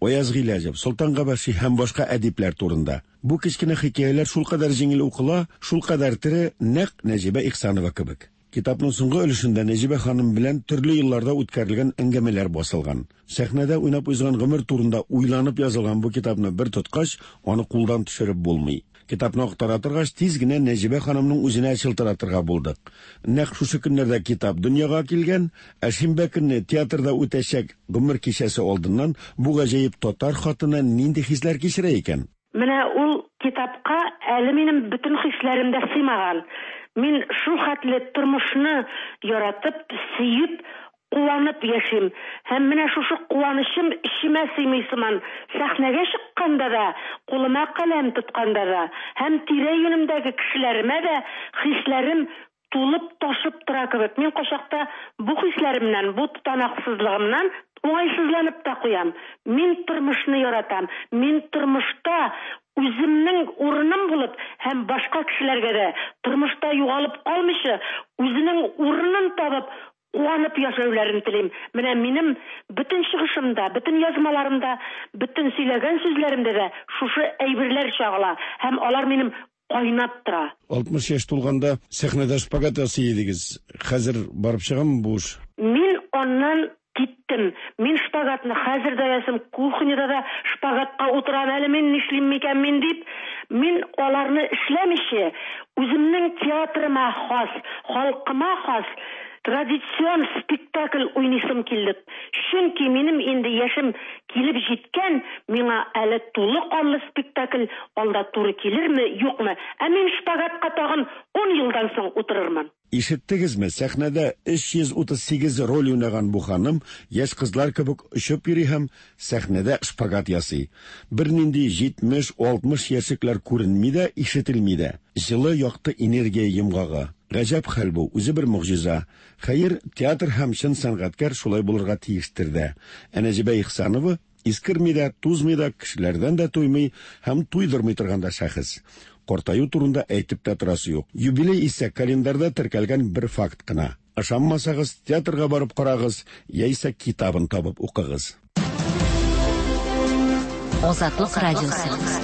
Аяз Гыйләҗев, Солтан Габәши һәм башка әдипләр турында. Бу кечкенә хикәяләр шулкадәр җиңел укыла, шулкадәр тере, нәкъ Нәҗибә Ихсанова кебек. Китапның соңгы өлешендә Нәҗибә ханым белән төрле елларда үткәрелгән әңгәмәләр басылган. Сәхнәдә уйнап узган гомер турында уйланып язылган бу китапны бер тоткач, аны кулдан төшереп булмый. Китапны актара торгач, тиз генә Нәҗибә ханымның үзенә чылтыратырга булдык. Нәкъ шушы көннәрдә китап дөньяга килгән, ә шимбә көнне театрда үтәчәк гомер кичәсе алдыннан бу гаҗәеп татар хатыны нинди хисләр кичерә икән? Менә ул китапка әле минем бөтен хисләрем дә сыймаган. Мин шул хәтле тормышны яратып, сөеп, куанып яшим. Һәм менә шушы куанычым эчемә сыймый сыман. Сәхнәгә чыкканда да, кулыма каләм тотканда да, һәм тирә-юнемдәге кешеләремә дә хисләрем тулып ташып тора кебек. Мин кайчакта бу хисләремнән, бу тотанаксызлыгымнан уңайсызланып та куям. Мин тормышны яратам. Мин тормышта үземнең урыным булып һәм башка кешеләргә дә тормышта югалып калмыйча, үзенең урынын табып, куанып яшәүләрен телим. Менә минем бөтен чыгышымда, бөтен язмаларымда, бөтен сөйләгән сүзләремдә дә шушы әйберләр чагыла һәм алар минем кайнап тора. 60 яшь тулганда сәхнәдә шпагат ясый идегез. Хәзер барып чыгамы бу эш? Мин аннан киттем. Мин шпагатны хәзер дә ясыйм, кухняда да шпагатка утырам әле мин, нишлим микән мин дип. Мин аларны эшләмичә, үземнең театрыма хас, халкыма хас традицион спектакль уйныйсым килде. Чөнки минем инде яшем килеп җиткән, миңа әле тулы канлы спектакль алда туры килерме, юкмы? Ә мин шпагатка тагын 10 елдан соң утырырмын. Ишеттегезме, сәхнәдә 338 роль уйнаган бу ханым яшь кызлар кебек очып йөри һәм сәхнәдә шпагат ясый. Бернинди 70-60 яшьлекләр күренми дә, ишетелми дә. Җылы, якты энергия йомгагы. Гаҗәп хәл бу, үзе бер могҗиза. Хәер, театр һәм чын сәнгатькәр шулай булырга тиештер дә. Ә Нәҗибә Ихсанова искерми дә, тузмый да, кешеләрдән дә туймый һәм туйдырмый торган да шәхес. Картаю турында әйтеп тә торасы юк. Юбилей исә календарьда теркәлгән бер факт кына. Ышанмасагыз, театрга барып карагыз, яисә китабын табып укыгыз. Азатлык радиосы.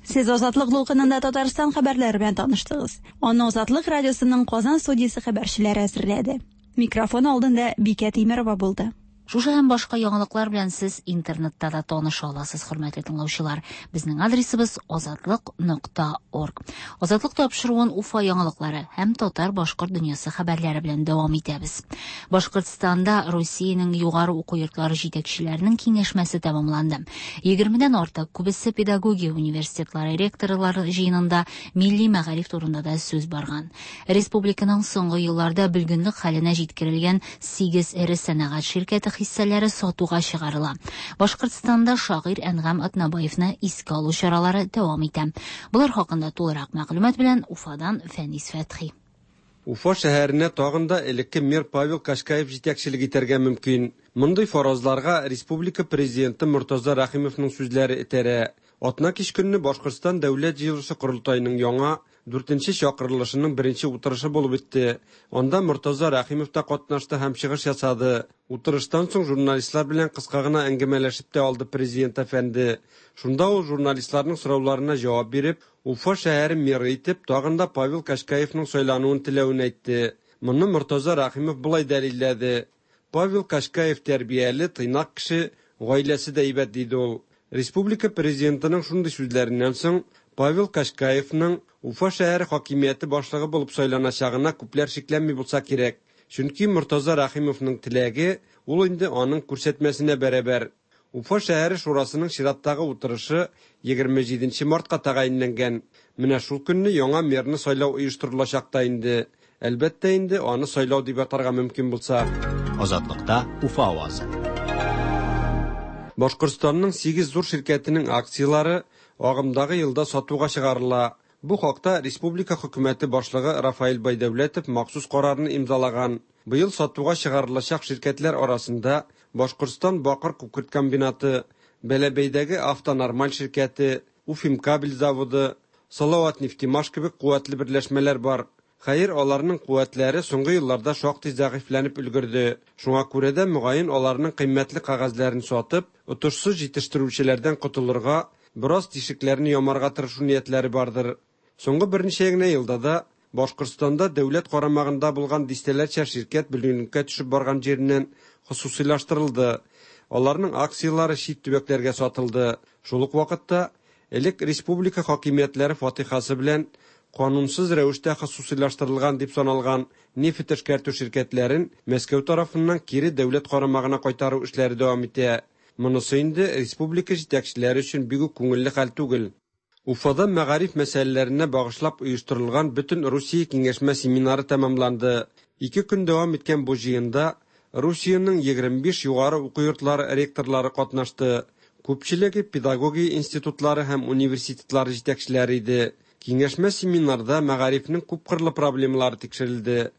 Сез Азатлык дулкынында Татарстан хәбәрләре белән таныштыгыз. Аны Азатлык радиосының Казан студиясе хәбәрчеләре әзерләде. Микрофон алдында Бикә Тимерова булды. Шушы һәм башка яңалыклар белән сез интернетта да таныша аласыз, хөрмәтле тыңлаучылар. Безнең адресыбыз азатлык.орг. Азатлык тапшыруын Уфа яңалыклары һәм татар-башкорт дөньясы хәбәрләре белән дәвам итәбез. Башкортстанда Русиянең югары уку йортлары җитәкчеләренең киңәшмәсе тәмамланды. 20-дән артык күбесе педагогия университетлары ректорлары җыенында милли мәгариф турында да сүз барган. Республиканың соңгы елларда бөлгенлек хәленә җиткерелгән 8 эре сәнәгать ширкәте хиссәләре сатуга чыгарыла. Башкортстанда шагыйрь Әнгам Атнабаевны искә алу чаралары дәвам итә. Болар хакында тулырак мәгълүмат белән Уфадан Фәнис Фәтхи. Уфа шәһәренә тагын да элекке мэр Павел Кашкаев җитәкчелек итәргә мөмкин. Мондый фаразларга республика президенты Мортаза Рәхимовның сүзләре этәрә. Атна кич көнне Башкортстан дәүләт җыелышы корылтаеның яңа дүртенче чакырылышының беренче утырышы булып үтте. Анда Мортаза Рәхимов та катнашты һәм чыгыш ясады. Утырыштан соң журналистлар белән кыска гына әңгәмәләшеп тә алды президент әфәнде. Шунда ул журналистларның сорауларына җавап биреп, Уфа шәһәре мэры итеп тагын да Павел Кашкаевның сайлануын теләвен әйтте. Моны Мортаза Рәхимов болай дәлилләде. Павел Кашкаев тәрбияле, тыйнак кеше, гаиләсе дә әйбәт, диде ул. Республика президентының шундый сүзләреннән соң Павел Кашкаевның Уфа шәһәре хакимияте башлыгы булып сайланачагына күпләр шикләнми булса кирәк. Чөнки Мортаза Рәхимовның теләге ул инде аның күрсәтмәсенә бәрабәр. Уфа шәһәре шурасының чираттагы утырышы 27 мартка тәгаенләнгән. Менә шул көнне яңа мэрны сайлау оештырылачак та инде. Әлбәттә инде аны сайлау дип атарга мөмкин булса. Азатлыкта Уфа авазы. Башкортстанның 8 зур ширкәтенең акцияләре агымдагы елда сатуга чыгарыла. Бу хакта республика хөкүмәте башлыгы Рафаэль Байдәүләтов махсус карарны имзалаган. Быел сатуга чыгарылачак ширкәтләр арасында Башкортстан бакыр күкерт комбинаты, Бәләбәйдәге Автонормаль ширкәте, Уфимкабель заводы, Салават нефтемаш кебек куәтле берләшмәләр бар. Хәер, аларның куәтләре соңгы елларда шактый зәгыйфьләнеп өлгерде. Шуңа күрә дә мөгаен аларның кыйммәтле кәгазьләрен сатып, отышсыз җитештерүчеләрдән котылырга, бераз тишекләрне ямарга тырышу ниятләре бардыр. Соңгы берничә генә елда да Башкортстанда дәүләт карамагында булган дистәләрчә ширкәт бөлгенлеккә төшеп барган җиреннән хосусыйлаштырылды. Аларның акцияләре чит төбәкләргә сатылды. Шул ук вакытта элек республика хакимиятләре фатихасы белән канунсыз рәвештә хосусыйлаштырылган дип саналган нефть эшкәртү ширкәтләрен Мәскәү тарафыннан кире дәүләт карамагына кайтару эшләре дәвам итә. Монысы инде республика җитәкчеләре өчен бик үк күңелле хәл түгел. Уфада мәгариф мәсьәләләренә багышлап оештырылган бөтен Русия киңәшмә семинары тәмамланды. Ике көн дәвам иткән бу җыенда Русиянең 25 югары уку йортлары ректорлары катнашты. Күпчелеге педагогия институтлары һәм университетлары җитәкчеләре иде. Киңәшмә семинарда мәгарифнең күпкырлы проблемалары тикшерелде.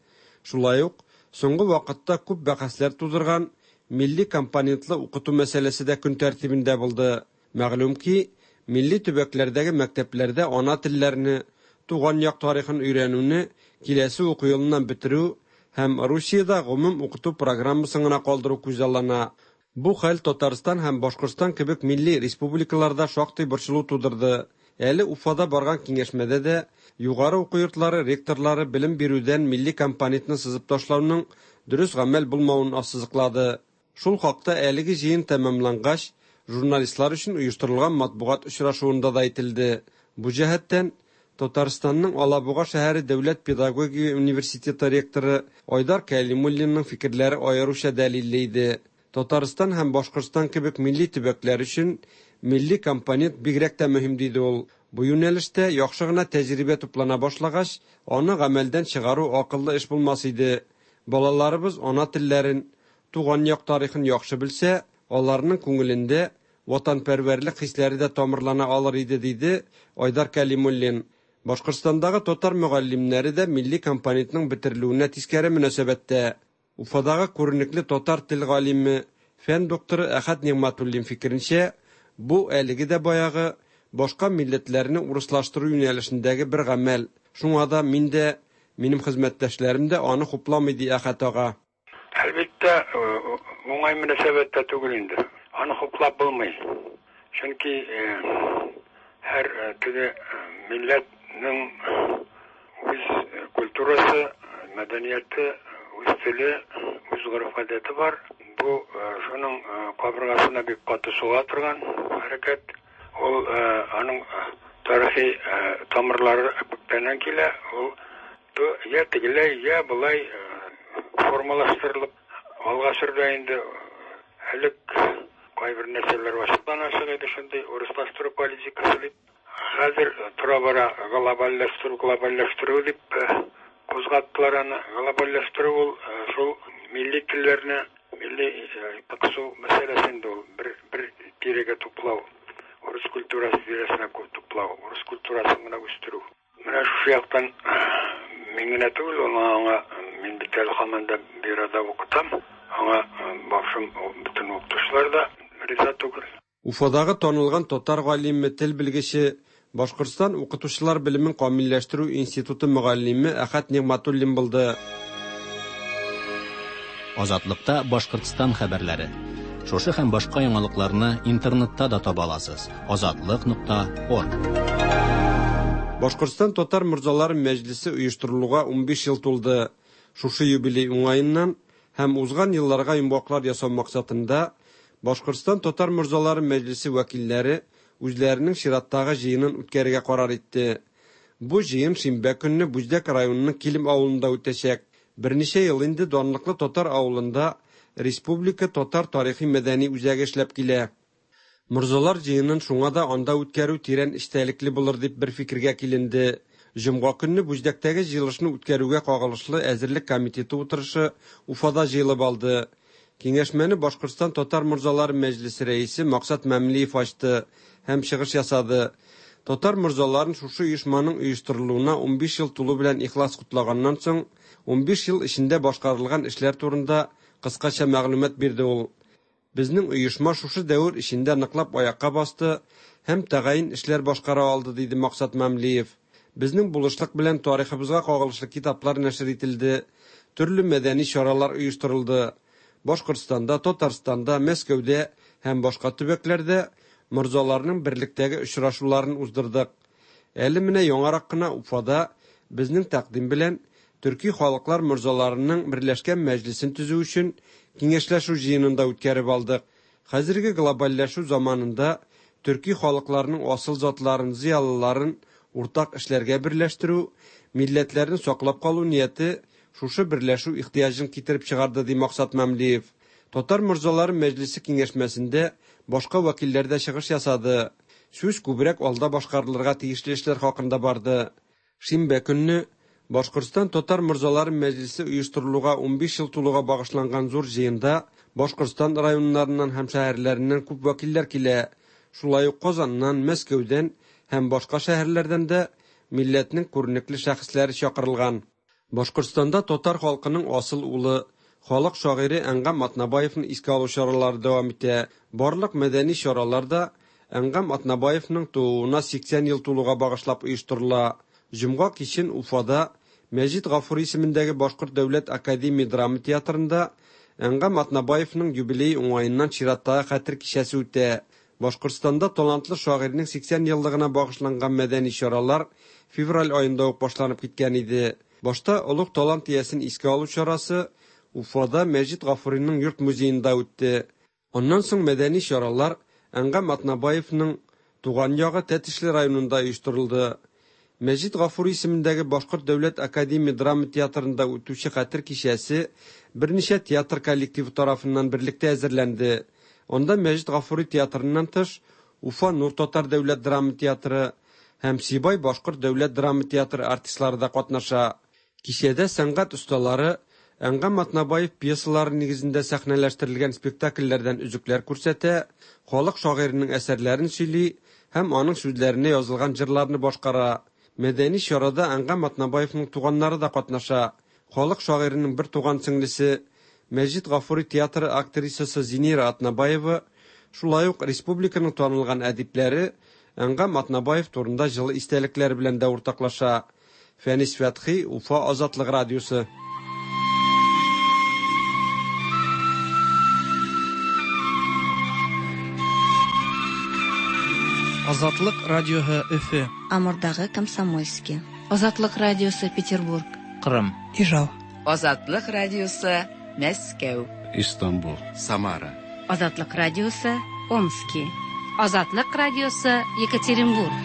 Шулай ук соңгы вакытта күп бәхәсләр тудырган милли компонентлы укыту мәсьәләсе дә көн тәртибендә булды. Мәгълүм ки, милли төбәкләрдәге мәктәпләрдә ана телләрне, туган як тарихын өйрәнүне киләсе уку елыннан бетерү һәм Русиядә гомум укыту программасын гына калдыру күзаллана. Бу хәл Татарстан һәм Башкортстан кебек милли республикаларда шактый борчылу тудырды. Әле Уфада барган киңәшмәдә дә югары уку йортлары ректорлары белем бирүдән милли компонентны сызып ташлауның дөрес гамәл булмавын ассызыклады. Шул хакта әлеге җыен тәмамлангач, журналистлар өчен оештырылган матбугат очрашуында да әйтелде. Бу җәһәттән Татарстанның Алабуга шәһәре дәүләт педагогия университеты ректоры Айдар Кәлимуллинның фикерләре аеруча дәлилле иде. Татарстан һәм Башкортстан кебек милли төбәкләр өчен милли компонент бигрәк тә мөһим, диде ул. Бу юнәлештә яхшы гына тәҗрибә туплана башлагач, аны гамәлдән чыгару акыллы эш булмас иде. Балаларыбыз ана телләрен, туган як тарихын яхшы белсә, аларның күңелендә ватанпәрвәрлек хисләре дә тамырлана алыр иде, диде Айдар Кәлимуллин. Башкортстандагы татар мөгаллимнәре дә милли компонентның бетерелүенә тискәре мөнәсәбәттә. Уфадагы күренекле татар тел галиме, фән докторы Әхәт Нигъмәтуллин фикеренчә, бу әлеге дә баягы башка милләтләрне урыслаштыру юнәлешендәге бер гамәл. Шуңа да мин дә, минем хезмәттәшләрем дә аны хупламый, ди Әхәт ага. Әлбәттә, уңай мөнәсәбәттә түгел инде. Аны хуплап булмый. Чөнки һәр теге милләтнең үз культурасы, мәдәнияте, үз теле, үз гореф-гадәте бар. Бу шуның кабыргасына бик каты суга торган хәрәкәт. Ул аның тарихи тамырлары күптәннән килә. Ул я тегеләй, я болай формалаштырылып алга сөрелә инде. Элек кайбер нәрсәләр ачыктан-ачык иде, шундый урыслаштыру политикасы дип. Хәзер тора-бара глобальләштерү, глобальләштерү дип кузгаттылар аны. Глобальләштерү ул шул милли телләрне, милли кысу мәсьәләсе инде ул. Бер, бер тирәгә туплау, урыс культурасы тирәсенә туплау, урыс культурасын гына үстерү. Менә шушы яктан мин генә түгел, ул аңа мин бит әле һаман да бюрода укытам. Аңа башым бөтен укытучылар да риза түгел. Уфадагы танылган татар галиме, тел белгече, Башкортстан укытучылар белемен камилләштерү институты мөгаллиме Әхәт Нигъмәтуллин булды. Азатлыкта Башкортстан хәбәрләре. Шушы һәм башка яңалыкларны интернетта да таба аласыз. Азатлык.орг. Башкортстан татар морзалары мәҗлесе оештырылуга 15 ел тулды. Шушы юбилей уңаеннан һәм узган елларга йомгаклар ясау максатында Башкортстан татар морзалары мәҗлесе вәкилләре үзләренең чираттагы җыенын үткәрергә карар итте. Бу җыен шимбә көнне Бүздәк районының Килем авылында үтәчәк. Берничә ел инде данлыклы татар авылында Республика татар тарихи-мәдәни үзәге эшләп килә. Морзалар җыенын шуңа да анда үткәрү тирән эчтәлекле булыр дип бер фикергә киленде. Җомга көнне Бүздәктәге җыелышны үткәрүгә кагылышлы әзерлек комитеты утырышы Уфада җыелып алды. Киңәшмәне Башкортстан татар морзалары мәҗлесе рәисе Максат Мәмлиев ачты һәм чыгыш ясады. Татар морзаларын шушы оешманың оештырылуына 15 ел тулу белән ихлас котлаганнан соң, 15 ел эчендә башкарылган эшләр турында кыскача мәгълүмат бирде ул. Безнең оешма шушы дәвер эчендә ныклап аякка басты һәм тәгаен эшләр башкара алды, диде Максат Мәмлиев. Безнең булышлык белән тарихыбызга кагылышлы китаплар нәшер ителде, төрле мәдәни чаралар оештырылды. Башкортстанда, Татарстанда, Мәскәүдә һәм башка төбәкләрдә морзаларның берлектәге очрашуларын уздырдык. Әле менә яңарак кына Уфада безнең тәкъдим белән төрки халыклар морзаларының берләшкән мәҗлесен төзү өчен киңәшләшү җыенын да үткәреп алдык. Хәзерге глобальләшү заманында төрки халыкларның асыл затларын, зыялыларын уртак эшләргә берләштерү, милләтләрне саклап калу нияте шушы берләшү ихтыяҗын китереп чыгарды, ди Максат Мәмлиев. Татар морзалары мәҗлесе киңәшмәсендә башка вәкилләр дә чыгыш ясады. Сүз күбрәк алда башкарылырга тиешле эшләр хакында барды. Шимбә көнне Башкортстан татар морзалары мәҗлесе оештырылуга 15 ел тулуга багышланган зур җыенда Башкортстан районнарыннан һәм шәһәрләреннән күп вәкилләр килә. Шулай ук Казаннан, Мәскәүдән һәм башка шәһәрләрдән дә милләтнең күренекле шәхесләре чакырылган. Башкортстанда татар халкының асыл улы, халык шагыйре Әнгам Атнабаевны искә алу чаралары дәвам итә. Барлык мәдәни чаралар да Әнгам Атнабаевның тууына 80 ел тулуга багышлап оештырыла. Җомга кичен Уфада Мәҗит Гафури исемендәге Башкорт дәүләт академия драма театрында Әнгам Атнабаевның юбилее уңаеннан чираттагы хәтер кичәсе үтә. Башкортстанда талантлы шагыйрьнең 80 еллыгына багышланган мәдәни чаралар февраль аенда ук башланып киткән иде. Башта олуг талант иясен искә алу чарасы Уфада Мәҗит Гафуриның йорт музеенда үтте. Аннан соң мәдәни чаралар Әнгам Атнабаевның туган ягы Тәтешле районында оештырылды. Мәҗит Гафури исемендәге Башкорт дәүләт академия драма театрында үтүче хәтер кичәсе берничә театр коллективы тарафыннан берлектә әзерләнде. Анда Мәҗит Гафури театрыннан тыш Уфа Нур татар дәүләт драма театры һәм Сибай башкорт дәүләт драма театры артистлары да катнаша. Кичәдә сәнгать осталары Әнгам Атнабаев пьесалары нигезендә сәхнәләштерелгән спектакльләрдән өзекләр күрсәтә, халык шагыйренең әсәрләрен сөйли һәм аның сүзләренә язылган җырларны башкара. Мәдәни чарада Әнгам Атнабаевның туганнары да катнаша. Халык шагыйренең бер туган сеңлесе, Мәҗит Гафури театры актрисасы Зинира Атнабаева, шулай ук республиканың танылган әдипләре Әнгам Атнабаев турында җылы истәлекләре белән дә уртаклаша. Фәнис Фәтхи, Уфа Азатлык радиосы. Азатлык радиоһы Өфе. Амурдагы Комсомольский. Азатлык радиосы Петербург. Кырым. Ижау. Азатлык радиосы Мәскәү. Истанбул. Самара. Азатлык радиосы Омски. Азатлык радиосы Екатеринбург.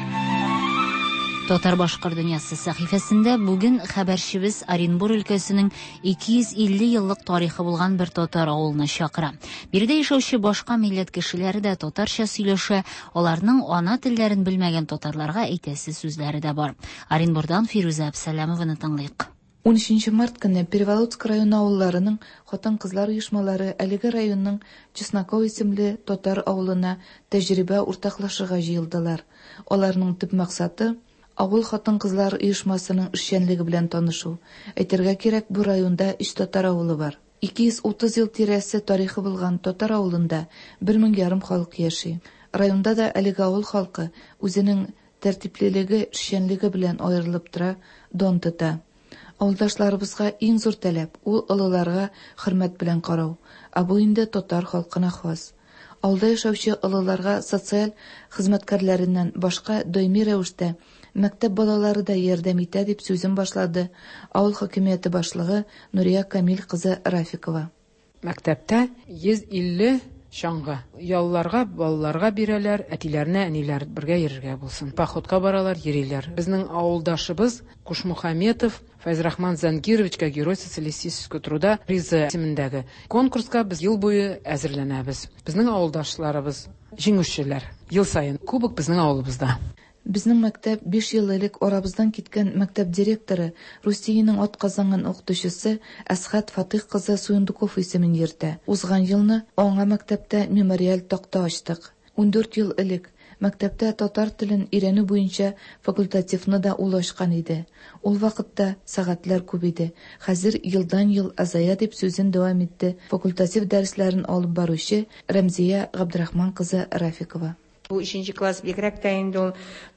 Татар башкорт дөньясы сәхифәсендә бүген хәбәрчебез Оренбур өлкәсенең 250 еллык тарихы булган бер татар авылына чакыра. Биредә яшәүче башка милләт кешеләре дә татарча сөйләшә, аларның ана телләрен белмәгән татарларга әйтәсе сүзләре дә бар. Оренбурдан Фирүзә Әбсәләмованы тыңлыйк. 13 март көнне Переволоцк районы авылларының хатын-кызлар оешмалары әлеге районның Чесноков исемле татар авылына тәҗрибә уртаклашырга җыелдылар. Аларның төп максаты авыл хатын-кызлар оешмасының эшчәнлеге белән танышу. Әйтергә кирәк, бу районда өч татар авылы бар. 230 ел тирәсе тарихы булган татар авылында 1,5 мең халык яши. Районда да әлеге авыл халкы үзенең тәртиплелеге, эшчәнлеге белән аерылып тора, дан тота. Авылдашларыбызга иң зур таләп ул олыларга хөрмәт белән карау, ә бу инде татар халкына хас. Авылда яшәүче олыларга социаль хезмәткәрләреннән башка даими рәвештә мәктәп балалары да ярдәм итә, дип сүзен башлады авыл хакимияте башлыгы Нурия Камил кызы Рафикова. Мәктәптә 150 чаңгы. Ялларга балаларга бирәләр, әтиләренә, әниләр бергә йөрергә булсын. Походка баралар, йөриләр. Безнең авылдашыбыз Кушмухаметов Фәйзрахман Зангировичка Герой социалистического труда призы исемендәге конкурска без ел буе әзерләнәбез. Безнең авылдашларыбыз җиңүчеләр. Ел саен кубок безнең авылыбызда. Безнең мәктәп 5 ел элек арабыздан киткән мәктәп директоры, Русиянең атказанган укытучысы Әсхәт Фатыйх кызы Суендуков исемен йөртә. Узган елны аңа мәктәптә мемориаль такта ачтык. 14 ел элек мәктәптә татар телен өйрәнү буенча факультативны да ул ачкан иде. Ул вакытта сәгатьләр күп иде. Хәзер елдан-ел азая, дип сүзен дәвам итте факультатив дәресләрен алып баручы Рәмзия Габдрахман кызы Рафикова. Бу өченче класс бигрәк тә инде ул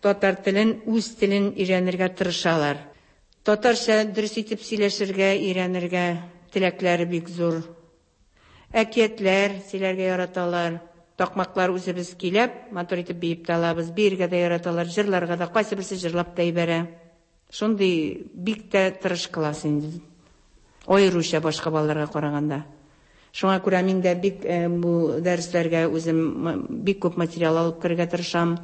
татар телен, үз телен өйрәнергә тырышалар. Татарча дөрес итеп сөйләшергә, өйрәнергә теләкләре бик зур. Әкиятләр сөйләргә яраталар. Такмаклар үзебез көйләп, матур итеп биеп тә алабыз. Биергә дә яраталар, җырларга да, кайсы берсе җырлап та ибәрә. Шундый бик тә тырыш класс инде. Аеруча башка балаларга караганда. Шуңа күрә мин дә бик бу дәресләргә үзем бик күп материал алып керергә тырышам,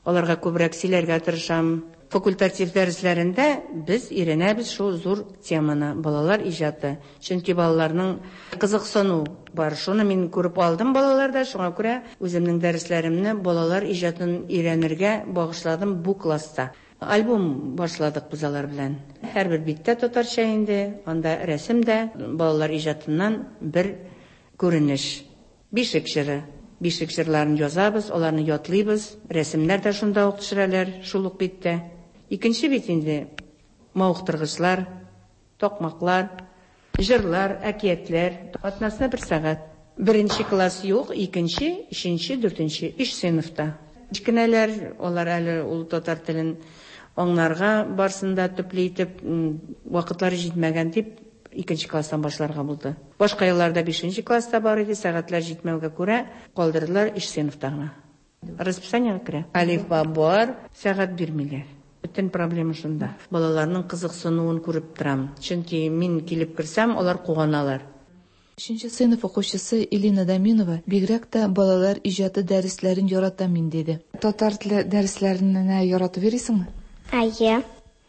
аларга күбрәк сөйләргә тырышам. Факультатив дәресләрендә без өйрәнәбез шул зур теманы, балалар иҗаты. Чөнки балаларның кызыксыну бар. Шуны мин күреп алдым балаларда, шуңа күрә үземнең дәресләремне балалар иҗатын өйрәнергә багышладым бу класста. Альбом башладык без алар белән. Һәрбер биттә татарча инде, анда рәсем дә, балалар иҗатыннан бер күренеш. Бишек җыры. Бишек җырларын язабыз, аларны ятлыйбыз, рәсемнәр дә шунда ук төшерәләр, шул ук биттә. Икенче бит инде мавыктыргычлар, Такмаклар, җырлар, әкиятләр. Атнасына бер сәгать. Беренче класс юк, икенче, өченче, дүртенче, өч сыйныфта. Кечкенәләр, алар әле ул татар телен аңларга барсын да төпле итеп, вакытлары җитмәгән дип, икенче класстан башларга булды. Башка елларда бишенче класста бар иде, сәгатьләр җитмәүгә күрә, калдырдылар өч сыйныфта гына. Расписаниегә керә. Әлифба бар, сәгать бирмиләр. Бөтен проблема шунда. Балаларның кызыксынуын күреп торам. Чөнки мин килеп керсәм, алар куаналар. Өченче сыйныф укучысы Элина Даминова бигрәк тә балалар иҗаты дәресләрен яратам мин, диде. Татар теле дәресләренә яратып йөрисеңме? Әйе.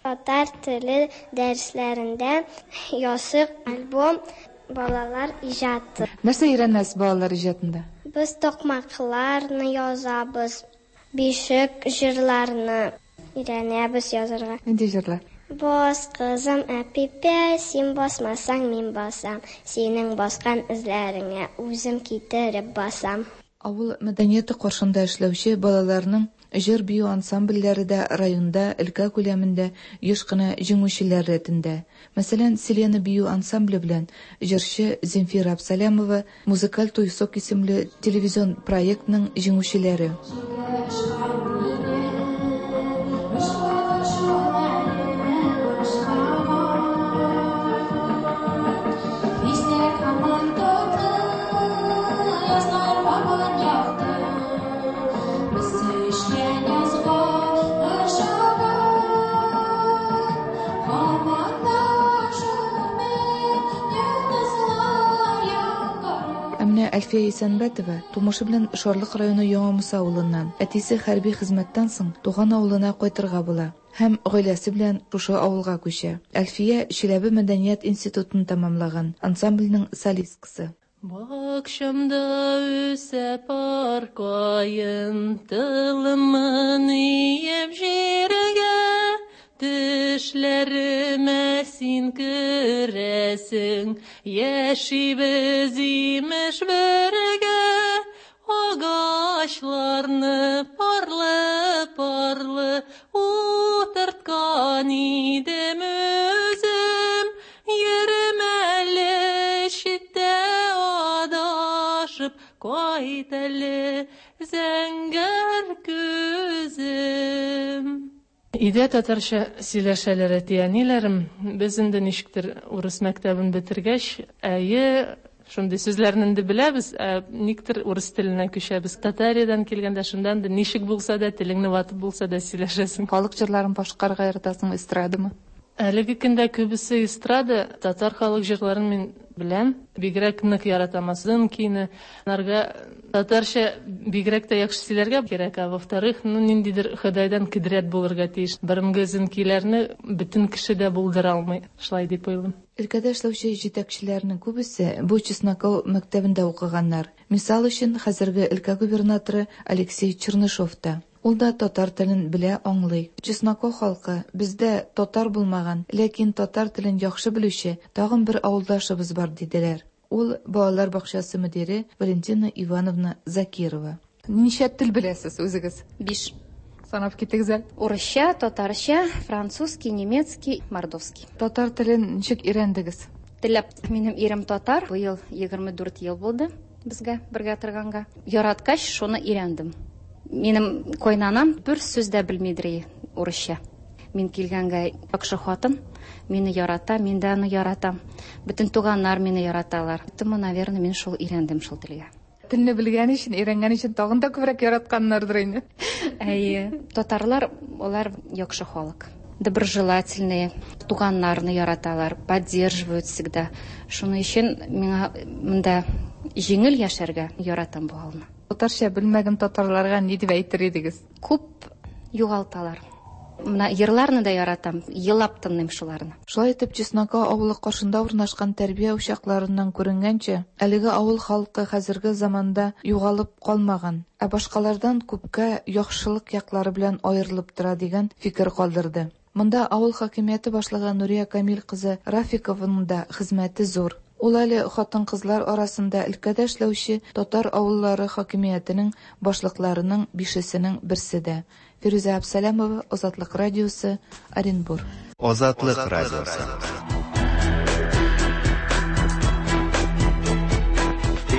Татар теле дәресләрендә ясык альбом балалар иҗаты. Нәрсә өйрәнәсез балалар иҗатында? Без такмакларны язабыз, бишек җырларны өйрәнәбез язарга. Нинди җырлар? Бас, кызым, әпипә, син басмасаң, мин басам, синең баскан эзләреңә үзем китереп басам. Авыл мәдәнияте каршында эшләүче балаларның җыр-бию ансамбльләре дә районда, өлкә күләмендә еш кына җиңүчеләр рәтендә. Мәсәлән, Селена бию ансамбле белән җырчы Земфира Абсалямова Музыкаль туйсок исемле телевизион проектның җиңүчеләре. Ә менә Әлфия Исәнбәтова тумышы белән Шарлык районы Яңа Муса авылыннан. Әтисе хәрби хезмәттән соң туган авылына кайтырга була һәм гаиләсе белән шушы авылга күчә. Әлфия Чиләбе мәдәният институтын тәмамлаган, ансамбльнең солисткасы. Бакчамда үсә пар каен, Тылымын иеп җиргә, Төшләремә син керәсең, Яшибез имеш бергә. Агачларны парлы-парлы Утырткан идем үзем. Йөрим әле читтә адашып, Кайт әле, зәңгәр күзем. Өйдә татарча сөйләшәләр әти-әниләрем. Без инде ничектер урыс мәктәбен бетергәч, әйе, шундый сүзләрне инде беләбез, ә никтер урыс теленә күчәбез. Татариядән килгәндә шунда инде ничек булса да, телеңне ватып булса да сөйләшәсең. Халык җырларын башкарырга яратасыңмы, эстрадамы? Әлеге көндә күбесе эстрада, татар халык җырларын мин беләм. Бигрәк нык яратам Озын көйне. Анарга татарча бигрәк тә яхшы сөйләргә кирәк, а во-вторых, ну ниндидер Ходайдан кодрәт булырга тиеш. Борынгы озын көйләрне бөтен кеше дә булдыра алмый, шулай дип уйлыйм. Өлкәдә эшләүче җитәкчеләрнең күбесе бу Чесноков мәктәбендә укыганнар. Мисал өчен, хәзерге өлкә губернаторы Алексей Чернышов та. Ул да татар телен белә, аңлый. Чесноков халкы, бездә татар булмаган, ләкин татар телен яхшы белүче тагын бер авылдашыбыз бар, диделәр. Ул, балалар бакчасы мөдире Валентина Ивановна Закирова. Ничә тел беләсез үзегез? Биш. Санап китегез әле. Урысча, татарча, французский, немецкий, мордовский. Татар телен ничек өйрәндегез? Теләп. Минем ирем татар. Быел 24 ел булды безгә бергә торганга. Яраткач, шуны өйрәндем. Минем кайнанам бер сүз дә белмидер урысча. Мин килгәнгә яхшы хатын, мине ярата, мин дә аны яратам. Бөтен туганнар мине яраталар. Поэтому, наверное, мин шул өйрәндем шул телгә. Телне белгән өчен, өйрәнгән өчен тагын да күбрәк яратканнардыр инде. Әйе. Татарлар алар яхшы халык. Доброжелательные, туганнарны яраталар, поддерживают всегда. Шуның өчен миңа монда җиңел яшәргә, яратам бу авылны. Татарча белмәгән татарларга ни дип әйтер идегез? Күп югалталар. Менә йырларны да яратам, елап тыңлыйм шуларны. Шулай итеп, Чеснока авылы каршында урнашкан тәрбия учакларыннан күренгәнчә, әлеге авыл халкы хәзерге заманда югалып калмаган, ә башкалардан күпкә яхшылык яклары белән аерылып тора дигән фикер калдырды. Монда авыл хакимияте башлыгы Нурия Камил кызы Рафикованың да хезмәте зур. Ул әле хатын-кызлар арасында өлкәдә эшләүче татар авыллары хакимиятенең башлыкларының бишесенең берсе дә. Фирүзә Әбсәләмова, Азатлык радиосы, Оренбур. Азатлык радиосы.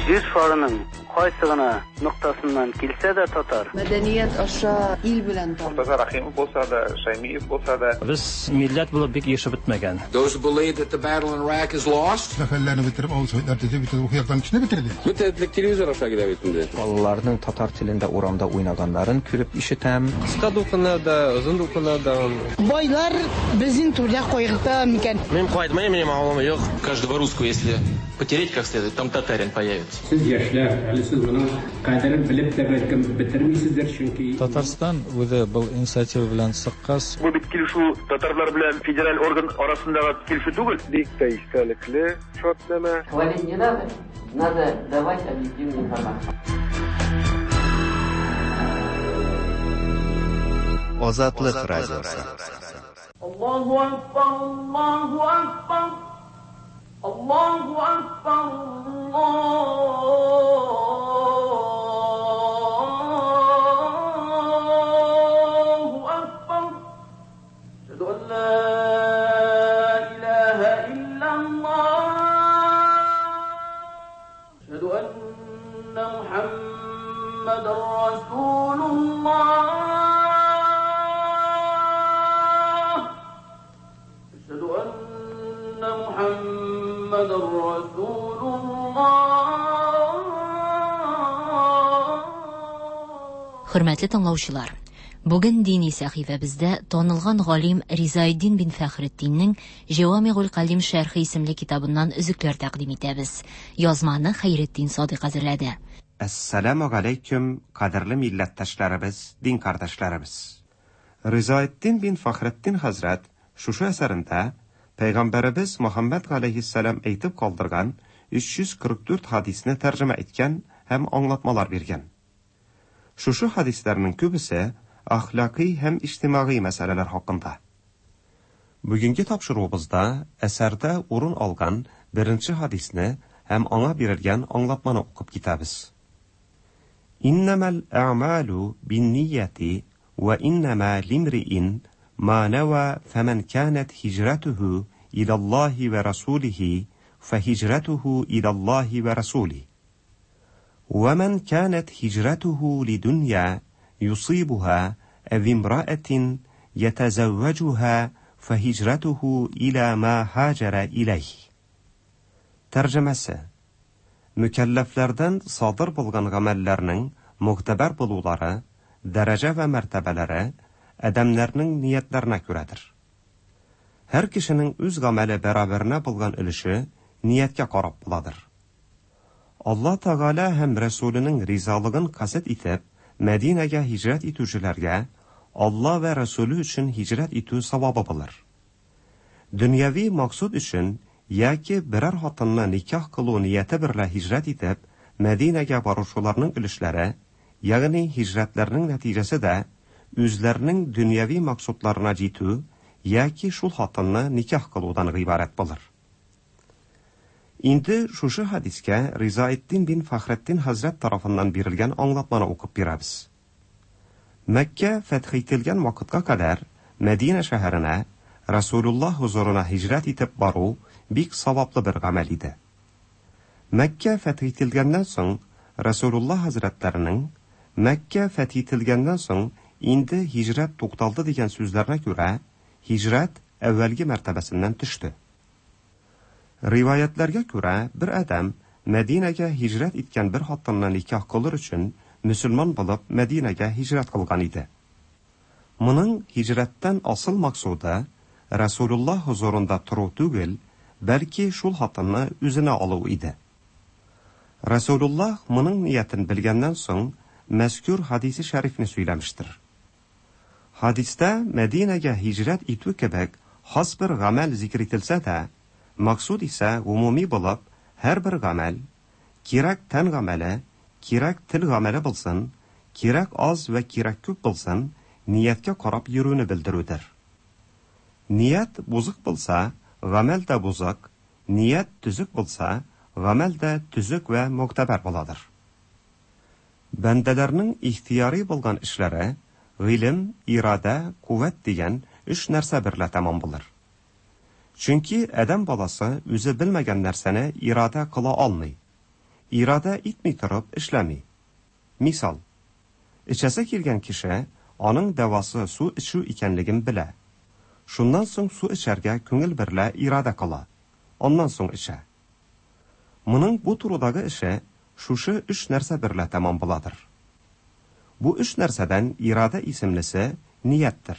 Җир шарының кайсы гына ноктасыннан килсә дә татар. Мәдәният аша ил белән таныш. Мортаза Рәхимов булса да, Шәймиев булса да. Без милләт булып бик ирешеп бетмәгән. Those who believe that the battle in Iraq is lost. Сәфәрләрне бетереп, авыл советлар төзеп, бөтен рухи яктан кешене бетерде. Бөтен этлек телевизор аша килә бит инде. Балаларның татар телендә урамда уйнаганнарын күреп ишетәм. Кыска дулкыннар да, озын дулкыннар да. Байлар безнең түрдә кайгырта микән? Мин кайтмыйм, минем авылым юк. Каждого русского, если потереть как следует, там татарин появится. Сез яшьләр, әле сез моның кадерен белеп тә бәлкем бетермисездер, чөнки Татарстан үзе был инициатива белән чыккач, Бу бит килешү татарлар белән федераль орган арасындагы килешү түгел. Бик тә истәлекле шартнамә. Хвалить не надо, надо давать объективную информацию. Азатлык радиосы. Аллаһу акбар, Аллаһу акбар. Аллаһу акбар, Аллаһу акбар. Әшһәду ан ла илаһа иллаллаһ. Әшһәду анна Мухаммадан расулуллаһ. Әшһәду анна Мухаммадан расулуллаһ. Хөрмәтле тыңлаучылар, бүген дини сәхифәбездә танылган галим Ризаэддин бин Фәхретдиннең Җәвамигуль Калим шәрхе исемле китабыннан өзекләр тәкъдим итәбез. Язманы Хәйретдин Садыйк әзерләде. Әссәламү галәйкүм, кадерле милләттәшләребез, дин кардәшләребез. Ризаэддин бин Фәхретдин хәзрәт шушы әсәрендә Пәйгамбәребез Мөхәммәд галәйһиссәлам әйтеп калдырган 344 хадисне тәрҗемә иткән һәм аңлатмалар биргән. Шушы хадисләрнең күбесе әхлакый һәм иҗтимагый мәсьәләләр хакында. Бүгенге тапшыруыбызда әсәрдә урын алган беренче хадисне һәм аңа бирелгән аңлатманы укып китәбез. Иннәмәл әгъмалу биннияти вә иннәмә лимриин ма нәва фәмән канат һиҗрәтүһү иләллаһи вә расулиһи фәһиҗрәтүһү иләллаһи вә расулиһи. ومن كانت هجرته لدنيا يصيبها أو امرأة يتزوجها فهجرته إلى ما هاجر إليه. Тәрҗемәсе Мөкәлләфләрдән садыр булган гамәлләрнең могтәбәр булулары, дәрәҗә вә мәртәбәләре адәмнәрнең ниятләренә күрәдер. Һәр кешенең үз гамәле бәрабәренә булган өлеше нияткә карап буладыр. Алла Тәгалә һәм Рәсүленең ризалыгын касд итеп, Мәдинәгә һиҗрәт итүчеләргә Алла вә Рәсүле өчен һиҗрәт итү савабы булыр. Дөньяви максуд өчен яки берәр хатынны никах кылу нияте берлә һиҗрәт итеп, Мәдинәгә баручыларның өлешләре, ягъни һиҗрәтләрнең нәтиҗәсе дә үзләренең дөньяви максудларына җитү яки шул хатынны никах кылудан гыйбарәт булыр. Инде шушы хадискә Ризаэддин бин Фәхретдин хәзрәт тарафыннан бирелгән аңлатманы укып бирәбез. Мәккә фәтх ителгән вакытка кадәр Мәдинә шәһәренә Расулуллаһ хозурына һиҗрәт итеп бару бик саваплы бер гамәл иде. Мәккә фәтх ителгәннән соң Расулуллаһ хәзрәтләренең Мәккә фәтх ителгәннән соң инде һиҗрәт тукталды дигән сүзләренә күрә, һиҗрәт әүвәлге мәртәбәсеннән төште. Риваятьләргә күрә, бер адәм Мәдинәгә һиҗрәт иткән бер хатынны никах кылыр өчен мөселман булып Мәдинәгә һиҗрәт кылган иде. Моның һиҗрәттән асыл максуды Рәсүлуллаһ хозурында тору түгел, бәлки шул хатынны үзенә алу иде. Рәсүлуллаһ моның ниятен белгәннән соң мәзкүр хадисе шәрифне сөйләмештер. Хадистә Мәдинәгә һиҗрәт итү кебек хас бер гамәл зикер ителсә дә, максуд исә гомуми булып, һәрбер гамәл, кирәк тән гамәле, кирәк тел гамәле булсын, кирәк аз вә кирәк күп булсын, нияткә карап йөрүне белдерүдер. Ният бозык булса, гамәл дә бозык, ният төзек булса, гамәл дә төзек вә могтәбәр буладыр. Бәндәләрнең ихтыяри булган эшләре гыйлем, ирадә, кувәт дигән өч нәрсә берлә тәмам булыр. Чөнки адәм баласы үзе белмәгән нәрсәне ирадә кыла алмый. Ирадә итми торып эшләми. Мисал, эчәсе килгән кеше аның дәвасы су эчү икәнлеген белә. Шуннан соң су эчәргә күңел берлә ирадә кыла. Аннан соң эчә. Моның бу турыдагы эше шушы өч нәрсә берлә тәмам буладыр. Бу өч нәрсәдән ирадә исемлесе нияттер.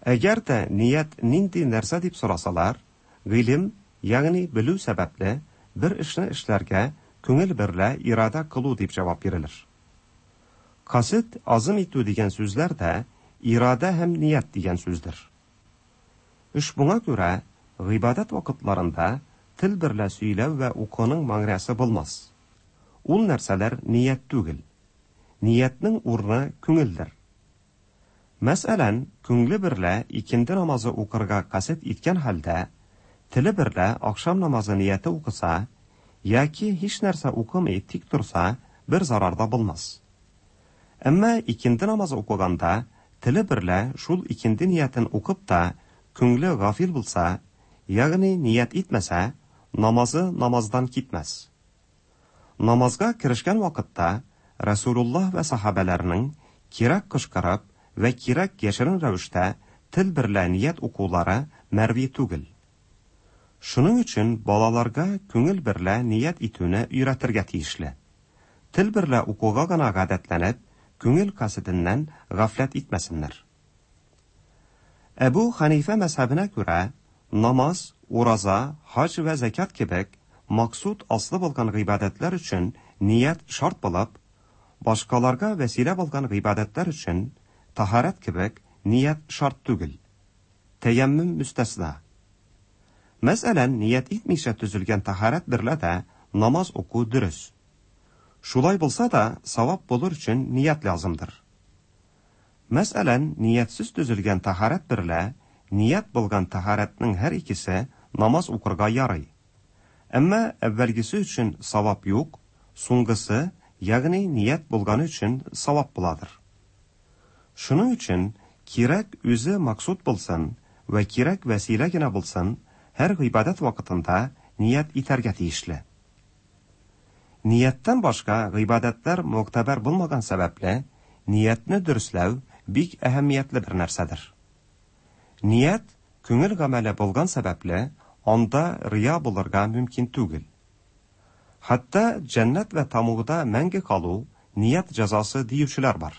Әгәр дә ният нинди нәрсә дип сорасалар, гыйлем, ягъни белү сәбәпле бер эшне эшләргә күңел берлә ирадә кылу дип җавап бирелер. Касыт, азым итү дигән сүзләр дә ирадә һәм ният дигән сүздер. Ошбуңа күрә, гыйбадәт вакытларында тел берлә сөйләү вә укуның мәгънәсе булмас. Ул нәрсәләр ният түгел. Ниятнең урыны күңелдер. Мәсәлән, күңле берлә икенде намазы укырга касыт иткән хәлдә, теле берлә ахшам намазы нияте укыса, яки һич нәрсә укымый тик торса, бер зарар да булмас. Әмма икенде намазы укыганда, теле берлә шул икенде ниятен укып та, күңле гафил булса, ягъни ният итмәсә, намазы намаздан китмәс. Намазга керешкән вакытта Рәсүлуллаһ вә сахабәләрнең кирәк кычкырып вә кирәк яшерен рәвештә тел берлә ният укулары мәрви түгел. Шуның өчен балаларга күңел берлә ният итүне өйрәтергә тиешле. Тел берлә укуга гына гадәтләнеп, күңел каседеннән гафләт итмәсеннәр. Әбү Хәнифә мәзһәбенә күрә, намаз, ураза, хаҗ вә зәкят кебек максуд аслы булган гыйбадәтләр өчен ният шарт булып, башкаларга вәсилә булган гыйбадәтләр өчен таһарәт кебек ният шарт түгел. Тәяммüm мөстәсна. Мәсәлән, ният итмичә төзелгән таһарәт берлә дә намаз уку дөрес. Шулай булса да, савап булыр өчен ният лязымдыр. Мәсәлән, ниятсез төзелгән таһарәт берлә ният булган таһарәтнең һәр икесе намаз укырга ярый. Әмма әүвәлгесе өчен савап юк, соңгысы, ягъни ният булганы өчен савап буладыр. Шуның өчен кирәк үзе максуд булсын вә кирәк вәсилә генә булсын, һәр гыйбадәт вакытында ният итәргә тиешле. Нияттән башка гыйбадәтләр могтәбәр булмаган сәбәпле, ниятне дөресләү бик әһәмиятле бер нәрсәдер. Ният күңел гамәле булган сәбәпле, анда рия булырга мөмкин түгел. Хәтта җәннәт вә тамугда мәңге калу ният җәзасы диючеләр бар.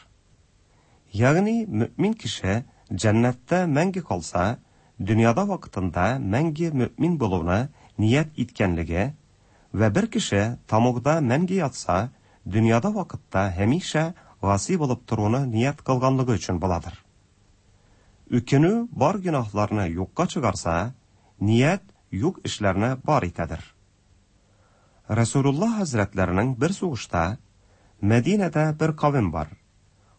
Ягъни мөэмин кеше җәннәттә мәңге калса, дөньяда вакытында мәңге мөэмин булуны ният иткәнлеге вә бер кеше тамугда мәңге ятса, дөньяда вакытта һәмишә гаси булып торуны ният кылганлыгы өчен буладыр. Үкенү бар гөнаһларны юкка чыгарса, ният юк эшләрне бар итәдер. Рәсүлуллаһ хәзрәтләренең бер сугышта Мәдинәдә бер кавем бар.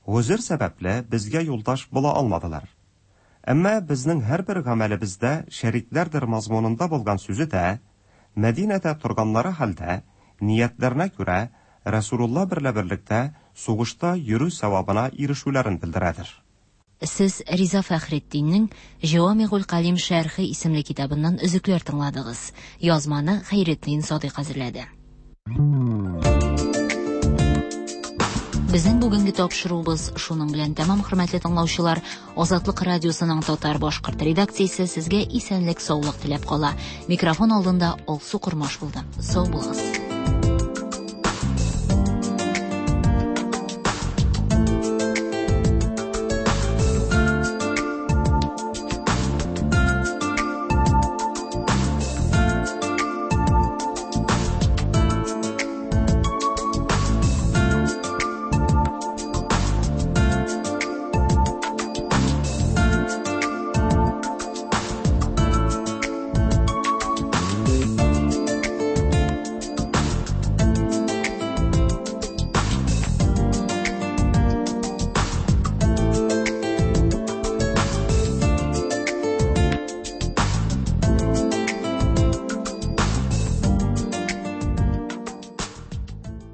Гозер сәбәпле безгә юлдаш була алмадылар. Әмма безнең һәрбер гамәлебездә шәрикләрдер мазмунында булган сүзе дә Мәдинәдә торганнары хәлдә ниятләренә күрә Рәсүлулла берлә берлектә сугышта йөрү савабына ирешүләрен белдерәдер. Сез Риза Фәхретдиннең Җәвамигуль Калим шәрхе исемле китабыннан өзекләр тыңладыгыз. Язманы Хәйретдин Садыйк әзерләде. Безнең бүгенге тапшыруыбыз шуның белән тәмам, хөрмәтле тыңлаучылар. Азатлык радиосының татар-башкорт редакциясе сезгә исәнлек-саулык теләп кала. Микрофон алдында Алсу Кормаш булды. Сау булыгыз.